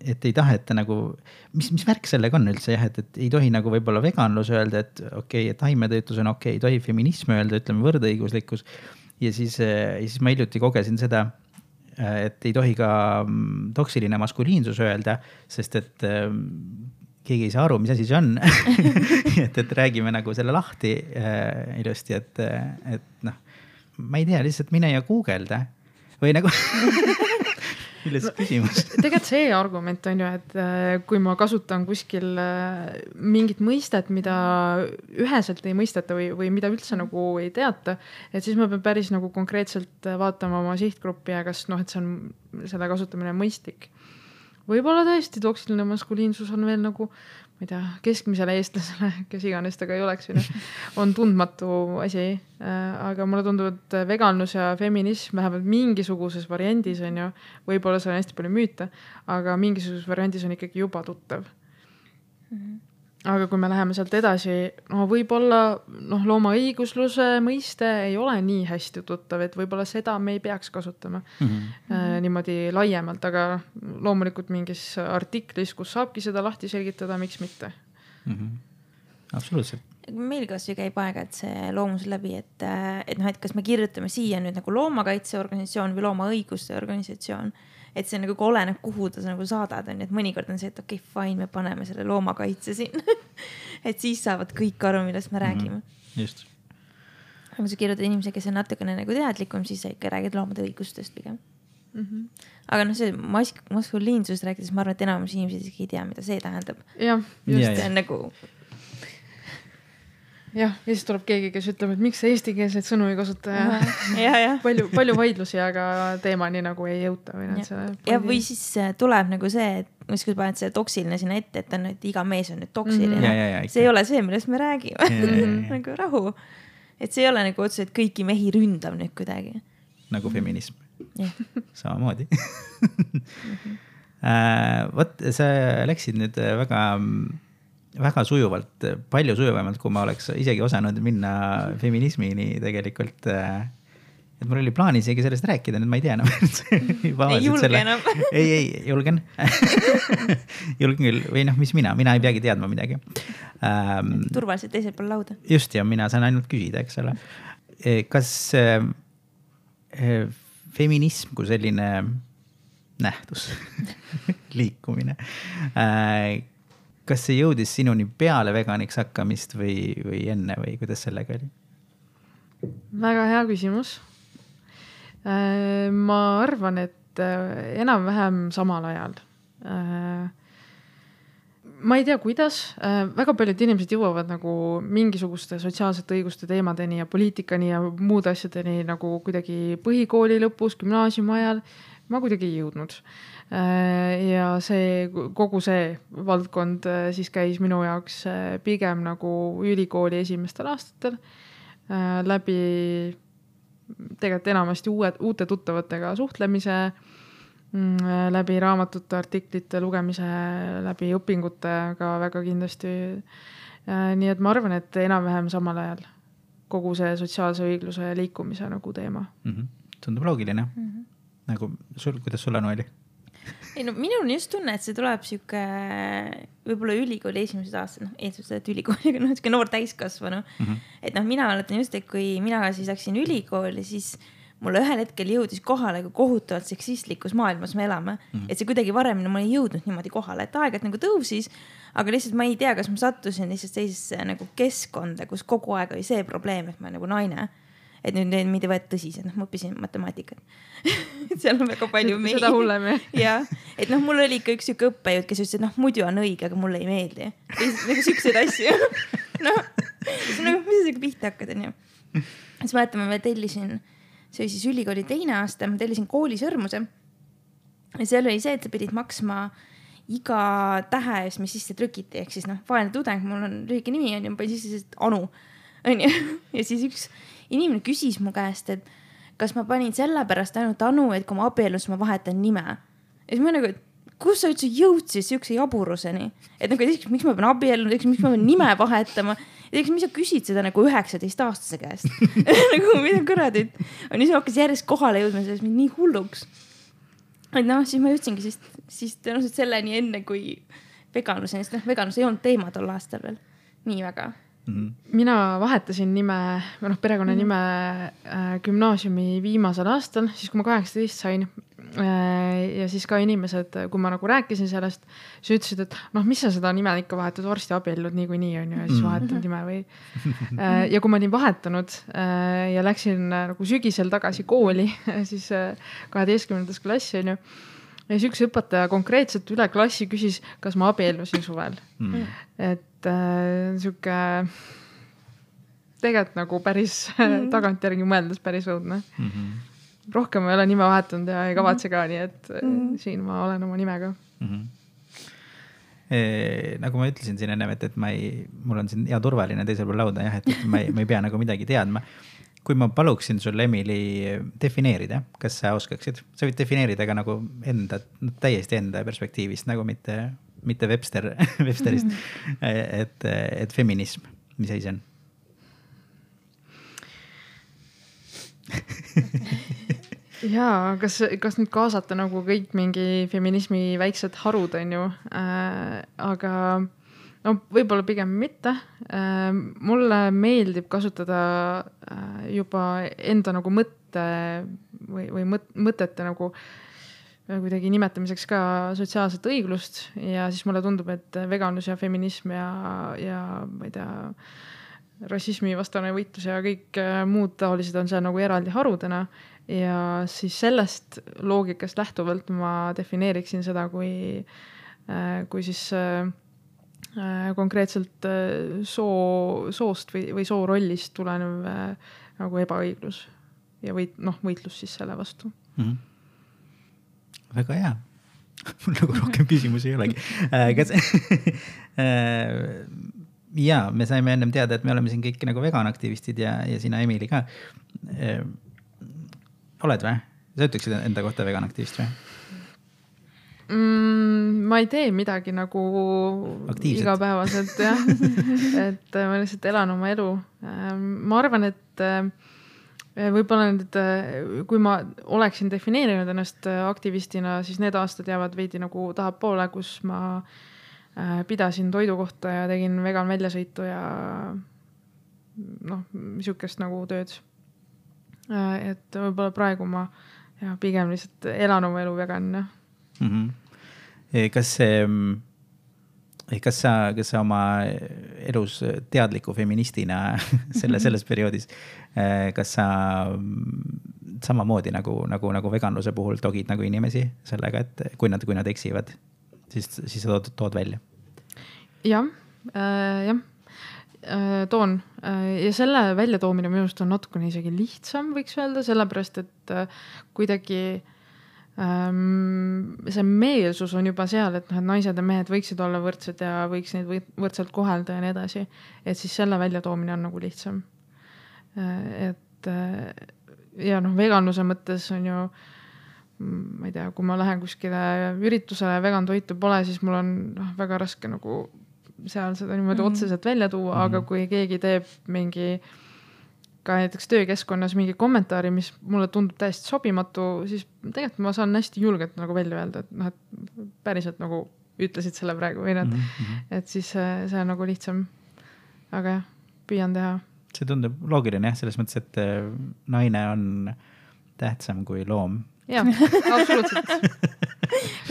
Speaker 1: et ei taheta nagu, mis, mis värk sellega on üldse, jah, et, et ei tohi nagu võib-olla veganlus öelda, et okei, okay, et taimetöötlus on okei, okay, ei tohi feminism öelda, ütleme võrdõiguslikkus. Ja siis, ja siis ma hiljuti kogesin seda, et ei tohi ka toksiline maskuliinsus öelda, sest et keegi ei saa aru, mis asi see on. et, et räägime nagu selle lahti äh, ilusti, et, et noh, ma ei tea, lihtsalt mine ja guugelda või nagu... Milles küsimus?
Speaker 2: Tegelikult see argument on ju, et kui ma kasutan kuskil mingit mõistet, mida üheselt ei mõisteta või, või mida üldse nagu ei teata, et siis ma pean päris nagu konkreetselt vaatama oma sihtgruppi ja kas noh, et see on selle kasutamine mõistlik. Võib-olla tõesti toksiline maskuliinsus on veel nagu, ma ei tea, keskmisele eestlasele, kes iganes taga ei oleks, on tundmatu asi. Aga mulle tundub, et veganlus ja feminism vähemalt mingisuguses variandis on ju, võib-olla see on hästi palju müüte, aga mingisuguses variandis on ikkagi juba tuttav. Mm-hmm. Aga kui me läheme sealt edasi, no võib-olla noh, looma õigusluse mõiste ei ole nii hästi tuttav, et võib-olla seda me ei peaks kasutama mm-hmm. äh, niimoodi laiemalt, aga loomulikult mingis artiklis, kus saabki seda lahti selgitada, miks mitte.
Speaker 1: Mm-hmm. Absoluutselt.
Speaker 3: Meil kas ju käib aega, et see loomus läbi, et, et, noh, et kas me kirjutame siia nüüd nagu loomakaitseorganisatsioon või loomaõiguste organisatsioon, et see nagu oleneb, kuhu ta nagu saadad on, et mõnikord on see, et okei, okay, fine, me paneme selle loomakaitse siin. et siis saavad kõik aru, millest me räägime.
Speaker 1: Mm-hmm. Just.
Speaker 3: Aga kui sa kirjutad inimese, kes on natukene nagu teadlikum, siis sa ikka räägid loomade õigustest pigem. Mm-hmm. Aga noh, see mask, maskuliinsus rääkides, ma arvan, et enamus inimesed ei tea, mida see tähendab.
Speaker 2: Ja,
Speaker 3: just ja, see on nagu...
Speaker 2: Jah, ja siis tuleb keegi, kes ütleb, et miks sa eestikeelseid sõnu ei kasuta ja,
Speaker 3: ja, ja.
Speaker 2: palju, palju vaidlusi, aga teemani nagu ei jõuta. Või,
Speaker 3: ja. ja või siis tuleb nagu see, et kui sa paned see toksiline sinna ette, et, on, et iga mees on nüüd toksiline.
Speaker 1: Mm-hmm. Ja, ja, ja,
Speaker 3: see ei ole see, millest me räägime. Ja, ja, ja. nagu rahu. Et see ei ole nagu otse, et kõiki mehi ründab nüüd kuidagi.
Speaker 1: Nagu feminism.
Speaker 3: Ja.
Speaker 1: Samamoodi. mm-hmm. uh, Vot, sa läksid nüüd väga... väga sujuvalt, palju sujuvamalt, kui ma oleks isegi osanud minna feminismini tegelikult. et mul oli plaan isegi sellest rääkida, nüüd ma ei tea enam.
Speaker 3: ei julge selle... enam.
Speaker 1: ei, ei, julgen. julgen küll, või noh, mis mina, mina ei peagi teadma midagi. Ähm,
Speaker 3: Turvaliselt teisel pool lauda.
Speaker 1: Just, ja mina saan ainult küsida, eks ole. Kas äh, feminism kui selline nähtus, liikumine, äh, kas see jõudis sinuni peale veganiks hakkamist või, või enne või kuidas sellega oli?
Speaker 2: Väga hea küsimus. Ma arvan, et enam-vähem samal ajal. Ma ei tea, kuidas. Väga paljud inimesed jõuavad nagu mingisuguste sotsiaalsete õiguste teemadeni ja poliitikani ja muud asjadeni nagu kuidagi põhikooli lõpus, gümnaasiumi ajal. Ma kuidagi ei jõudnud. Ja see, kogu see valdkond siis käis minu jaoks pigem nagu ülikooli esimestel aastatel läbi tegelikult enamasti uue, uute tuttavatega suhtlemise, läbi raamatute, artiklite lugemise, läbi õpingute ka väga kindlasti. Nii et ma arvan, et enam-vähem samal ajal kogu see sotsiaalse õigluse liikumise nagu teema.
Speaker 1: Mm-hmm. Tundub loogiline. Mm-hmm. Nagu sul, kuidas sul Anu oli?
Speaker 3: Ei, no minul on just tunne, et see tuleb siuke võib-olla ülikooli esimesed aastad, noh, eesmalt, et ülikooliga, noh, siuke noor täiskasvanu. Mm-hmm. Et noh, mina mäletan just, et kui mina siis läksin ülikooli, siis mulle ühel hetkel jõudis kohale, kui kohutavalt seksistlikus maailmas me elame. Mm-hmm. Et see kuidagi varemini mul ei jõudnud niimoodi kohale, et aegad nagu tõusis, aga lihtsalt ma ei tea, kas ma sattusin lihtsalt sellisesse nagu keskkonda, kus kogu aeg oli see probleem, et ma olen nagu naine. Et nüüd neid mitte võet tõsiselt, noh, ma õppisin matemaatikat. Seal on väga palju meid.
Speaker 2: Seda hullem,
Speaker 3: jah. Et noh, mul oli ikka üks siuke õppejõud, kes ütles, et noh, muidu on õige, aga mulle ei meeldi. Nagu siukseid asju. Noh, nagu, mis sa pihta hakkad, on ju. Siis mäletame, ma tellisin, see oli siis ülikooli teine aasta, ma tellisin koolisõrmuse. Ja seal oli see, et sa pidid maksma iga tähe eest, mis sisse trükiti. Ehk siis noh, vaene tudeng, mul on lühike nimi, on ju, ma panin sisse see Anu. On ju? Ja siis üks inimene küsis mu käest, et kas ma panin selle pärast ainult Anu, et kui ma abielus, ma vahetan nime. Ja siis ma nagu, et kus sa üldse jõudsid siukse jaburuseni? Et nagu, et miks ma pean abielun, miks ma pean nime vahetama? Ja miks sa küsid seda nagu üheksateist aastase käest? Nagu, mida kõradid? On siis hakkas järjest kohale jõudma, selles mind nii hulluks. Et noh, siis ma jõudsingi siis, siis tõenäoliselt selleni enne kui veganuseni, sest noh, veganus ei olnud teema tol aastal veel nii väga.
Speaker 2: Mm-hmm. Mina vahetasin nime, või noh, perekonna nime äh, gümnaasiumi viimasel aastal, siis kui ma kaheksateist sain äh, ja siis ka inimesed, kui ma nagu rääkisin sellest, siis ütlesid, et noh, mis sa seda nime ikka vahetad, varsti abiellud nii kui nii on ju, ja siis vahetan nime või äh, ja kui ma olin vahetanud äh, ja läksin äh, nagu sügisel tagasi kooli, siis äh, kaheteistkümnendas klassi on ju, ja siis üks õpetaja konkreetselt üle klassi küsis, kas ma abiellusin suvel. Mm. Et äh, siuke tegelikult nagu päris mm. tagantjärgi mõeldes päris õudne. Mm-hmm. Rohkem ma ei ole nime vahetanud ja ei kavatse ka, nii et mm. siin ma olen oma nimega.
Speaker 1: Mm-hmm. E, nagu ma ütlesin siin enne, et, et ma ei, mul on siin hea turvaline teisel pool lauda, jah, et, et ma, ei, ma ei pea nagu midagi teadma. Kui ma paluksin sul, Emily, defineerida, kas sa oskaksid? Sa võid defineerida ka nagu enda, täiesti enda perspektiivist, nagu mitte, mitte Webster, Websterist, et, et feminism, mis asi see on?
Speaker 2: Jaa, kas, kas nüüd kaasata nagu kõik mingi feminismi väiksed harud, on ju, äh, aga no võib-olla pigem mitte. Mulle meeldib kasutada juba enda nagu mõtte või, või mõtete nagu kuidagi nimetamiseks ka sotsiaalset õiglust ja siis mulle tundub, et veganus ja feminism ja, ja ma ei tea, rassismi vastane võitlus ja kõik muud taolised on seal nagu eraldi harudena ja siis sellest loogikast lähtuvalt ma defineeriksin seda kui, kui siis konkreetselt soo, soost või, või soo rollist tulenev nagu ebaõiglus ja võit, noh, võitlus siis selle vastu.
Speaker 1: Mm-hmm. Väga hea. Mul nagu rohkem küsimusi ei olegi. Kas, ja, me saime ennem teada, et me oleme siin kõik nagu veganaktivistid ja, ja sina, Emily, ka. Oled või? Sa ütleksid enda kohta veganaktivist või?
Speaker 2: Mm, ma ei tee midagi nagu aktiivselt. Igapäevaselt, jah. Et ma lihtsalt elan oma elu. Ma arvan, et võib-olla need, kui ma oleksin defineerinud ennast aktivistina, siis need aastad jäävad veidi nagu tahapoole, kus ma pidasin toidu kohta ja tegin vegan väljasõitu ja noh, niisugust nagu tööd. Et võib-olla praegu ma ja pigem lihtsalt elan oma elu vegan.
Speaker 1: Mm -hmm. Kas see, kas sa, kas sa oma elus teadliku feministina selle, selles perioodis, kas sa samamoodi nagu, nagu, nagu veganluse puhul togid nagu inimesi sellega, et kui nad, kui nad eksivad, siis, siis sa tood, tood välja?
Speaker 2: Jah, äh, jah. Toon ja selle väljatoomine minu arust on natukene isegi lihtsam, võiks öelda, sellepärast, et kuidagi ähm, see meelsus on juba seal, et, noh, et naised ja mehed võiksid olla võrdsed ja võiks neid võrdselt kohelda ja nii edasi, et siis selle väljatoomine on nagu lihtsam. Et ja noh, veganluse mõttes on ju, ma ei tea, kui ma lähen kuskile üritusele vegan toitu pole, siis mul on noh, väga raske nagu seal seda niimoodi mm-hmm. otseselt välja tuua, mm-hmm. aga kui keegi teeb mingi ka näiteks töökeskkonnas mingi kommentaari, mis mulle tundub täiesti sobimatu, siis tegelikult ma saan hästi julgelt nagu välja öelda, et noh, et päriselt nagu ütlesid selle praegu või nad, mm-hmm. et siis see on nagu lihtsam. Aga jah, püüan teha.
Speaker 1: See tundub loogiline jah, selles mõttes, et naine on tähtsam kui loom.
Speaker 2: Jah, absoluutselt.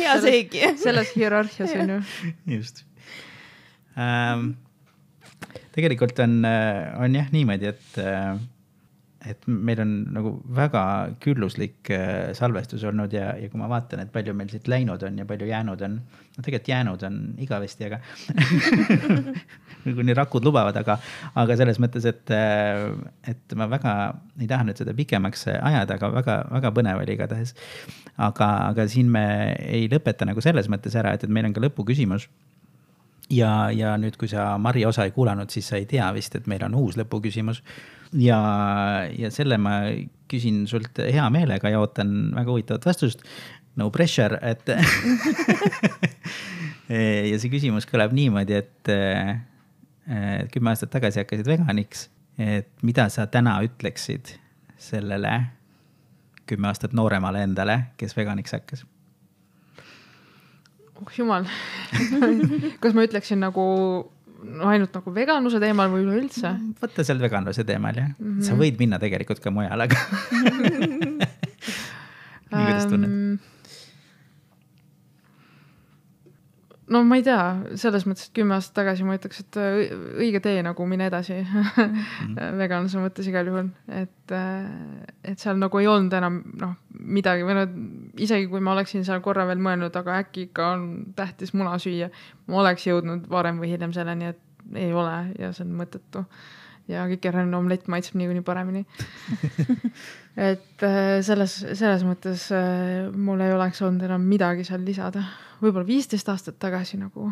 Speaker 3: Hea seegi.
Speaker 2: Selles hierarhias on ju.
Speaker 1: Just. Ähm, tegelikult on, on jah niimoodi, et, et meil on nagu väga külluslik salvestus olnud ja, ja kui ma vaatan, et palju meil siit läinud on ja palju jäänud on, no tegelikult jäänud on igavesti, aga kuni rakud lubavad, aga, aga selles mõttes, et, et ma väga ei taha nüüd seda pikemaks ajada, aga väga, väga põnev oli igatahes. Aga, aga siin me ei lõpeta nagu selles mõttes ära, et, et meil on ka lõpuküsimus. Ja, ja nüüd, kui sa Mari osa ei kuulanud, siis sa ei tea vist, et meil on uus lõpuküsimus. Ja, ja selle ma küsin sult hea meelega ja ootan väga huvitavat vastust. No pressure, et ja see küsimus kõlab niimoodi, et, et kümme aastat tagasi hakkasid veganiks, et mida sa täna ütleksid sellele kümme aastat nooremale endale, kes veganiks hakkas?
Speaker 2: Oh jumal, kas ma ütleksin nagu no, ainult nagu veganluse teemal või üleüldse?
Speaker 1: Võtta sealt veganluse teemal, jah. Mm -hmm. Sa võid minna tegelikult ka mujal, aga nii kuidas tunned?
Speaker 2: No ma ei tea, selles mõttes, et kümme aastat tagasi ma ütleks, et õige tee nagu mine edasi mm. veganluse mõttes igal juhul, et, et seal nagu ei olnud enam noh, midagi või no, isegi kui ma oleksin seal korra veel mõelnud, aga äkki ikka on tähtis muna süüa, ma oleks jõudnud varem või hiljem selleni, et ei ole ja see on mõttetu ja kikerränne omlett maitseb niikuinii paremini. Et selles, selles mõttes mul ei oleks olnud enam midagi seal lisada. Võib-olla viisteist aastat tagasi nagu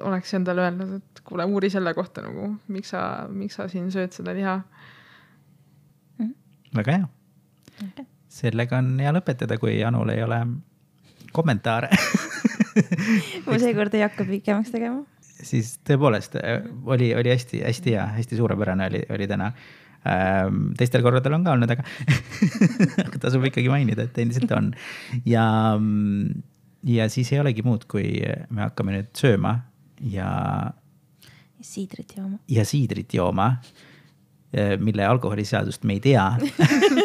Speaker 2: oleks endale öelnud, et kuule, uuri selle kohta nagu, miks sa, miks sa siin sööd seda liha.
Speaker 1: Mm. Väga hea. Okay. Sellega on hea lõpetada, kui Anul ei ole kommentaare.
Speaker 3: Ma seekord ei hakka pikemaks tegema.
Speaker 1: Siis tõepoolest oli, oli hästi, hästi hea, hästi suurepärane oli, oli täna. Teistel korradel on ka olnud, aga tasub ikkagi mainida, et endiselt on. Ja, ja siis ei olegi muud, kui me hakkame nüüd sööma ja
Speaker 3: ja siidrit jooma.
Speaker 1: Ja siidrit jooma, mille alkoholiseadust me ei tea,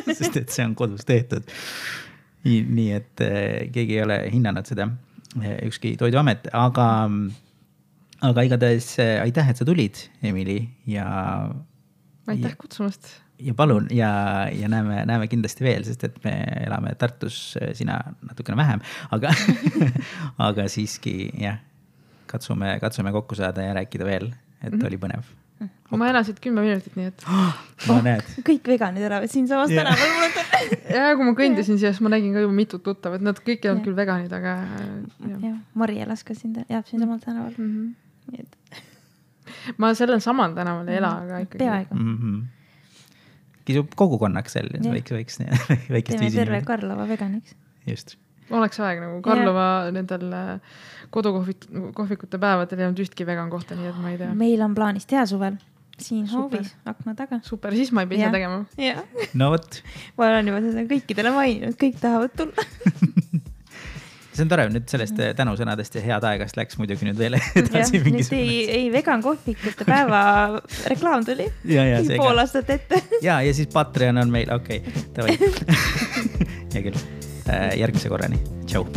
Speaker 1: sest et see on kodus tehtud. Nii, nii et keegi ei ole hinnanud seda, ükski toiduamet, aga aga igatahes aitäh, et sa tulid, Emily, ja
Speaker 2: aitäh kutsumast.
Speaker 1: Ja palun, ja, ja näeme, näeme kindlasti veel, sest et me elame Tartus, sina natukene vähem, aga, aga siiski, jah, katsume, katsume kokku saada ja rääkida veel, et mm-hmm. oli põnev.
Speaker 2: Okay. Ma elasid kümme minutit, nii et
Speaker 1: oh, oh,
Speaker 3: kõik veganid elavad siin samas yeah. tänaval.
Speaker 2: Ja kui ma kõndisin siia, siis ma nägin ka juba mitut tuttavat, nad kõik ei olnud küll veganid, aga
Speaker 3: ja. Ja, Mari elas ka siin, jääb siin samal tänaval. Mm-hmm.
Speaker 2: Ma sellel samal tänaval ei ela, aga ikkagi.
Speaker 3: Peaaegu.
Speaker 1: Mm-hmm. Kisub kogukonnaks seal, võiks, võiks väikest
Speaker 3: viisi. Teeme terve Karlova veganiks.
Speaker 1: Just.
Speaker 2: Oleks aeg nagu Karlova ja. Nendel kodukohvikute päevadel ei olnud ühtki vegan kohta, nii et ma ei tea.
Speaker 3: Meil on plaanis teha suvel, siin hoovis, akna taga.
Speaker 2: Super, siis ma ei pea ise tegema.
Speaker 3: Ja.
Speaker 1: No võt.
Speaker 3: Ma olen juba seda kõikidele maininud, kõik tahavad tulla.
Speaker 1: See on tore, nüüd sellest tänusõnadest ja head aegast läks muidugi nüüd veel edasi
Speaker 3: ja, nüüd ei, ei vegan kohvikute päeva reklaam tuli
Speaker 1: ja, ja,
Speaker 3: pool aastat ette.
Speaker 1: ja, ja siis Patreon on meil, okei, okay, davai. Hea küll, järgmise korrani, tšau.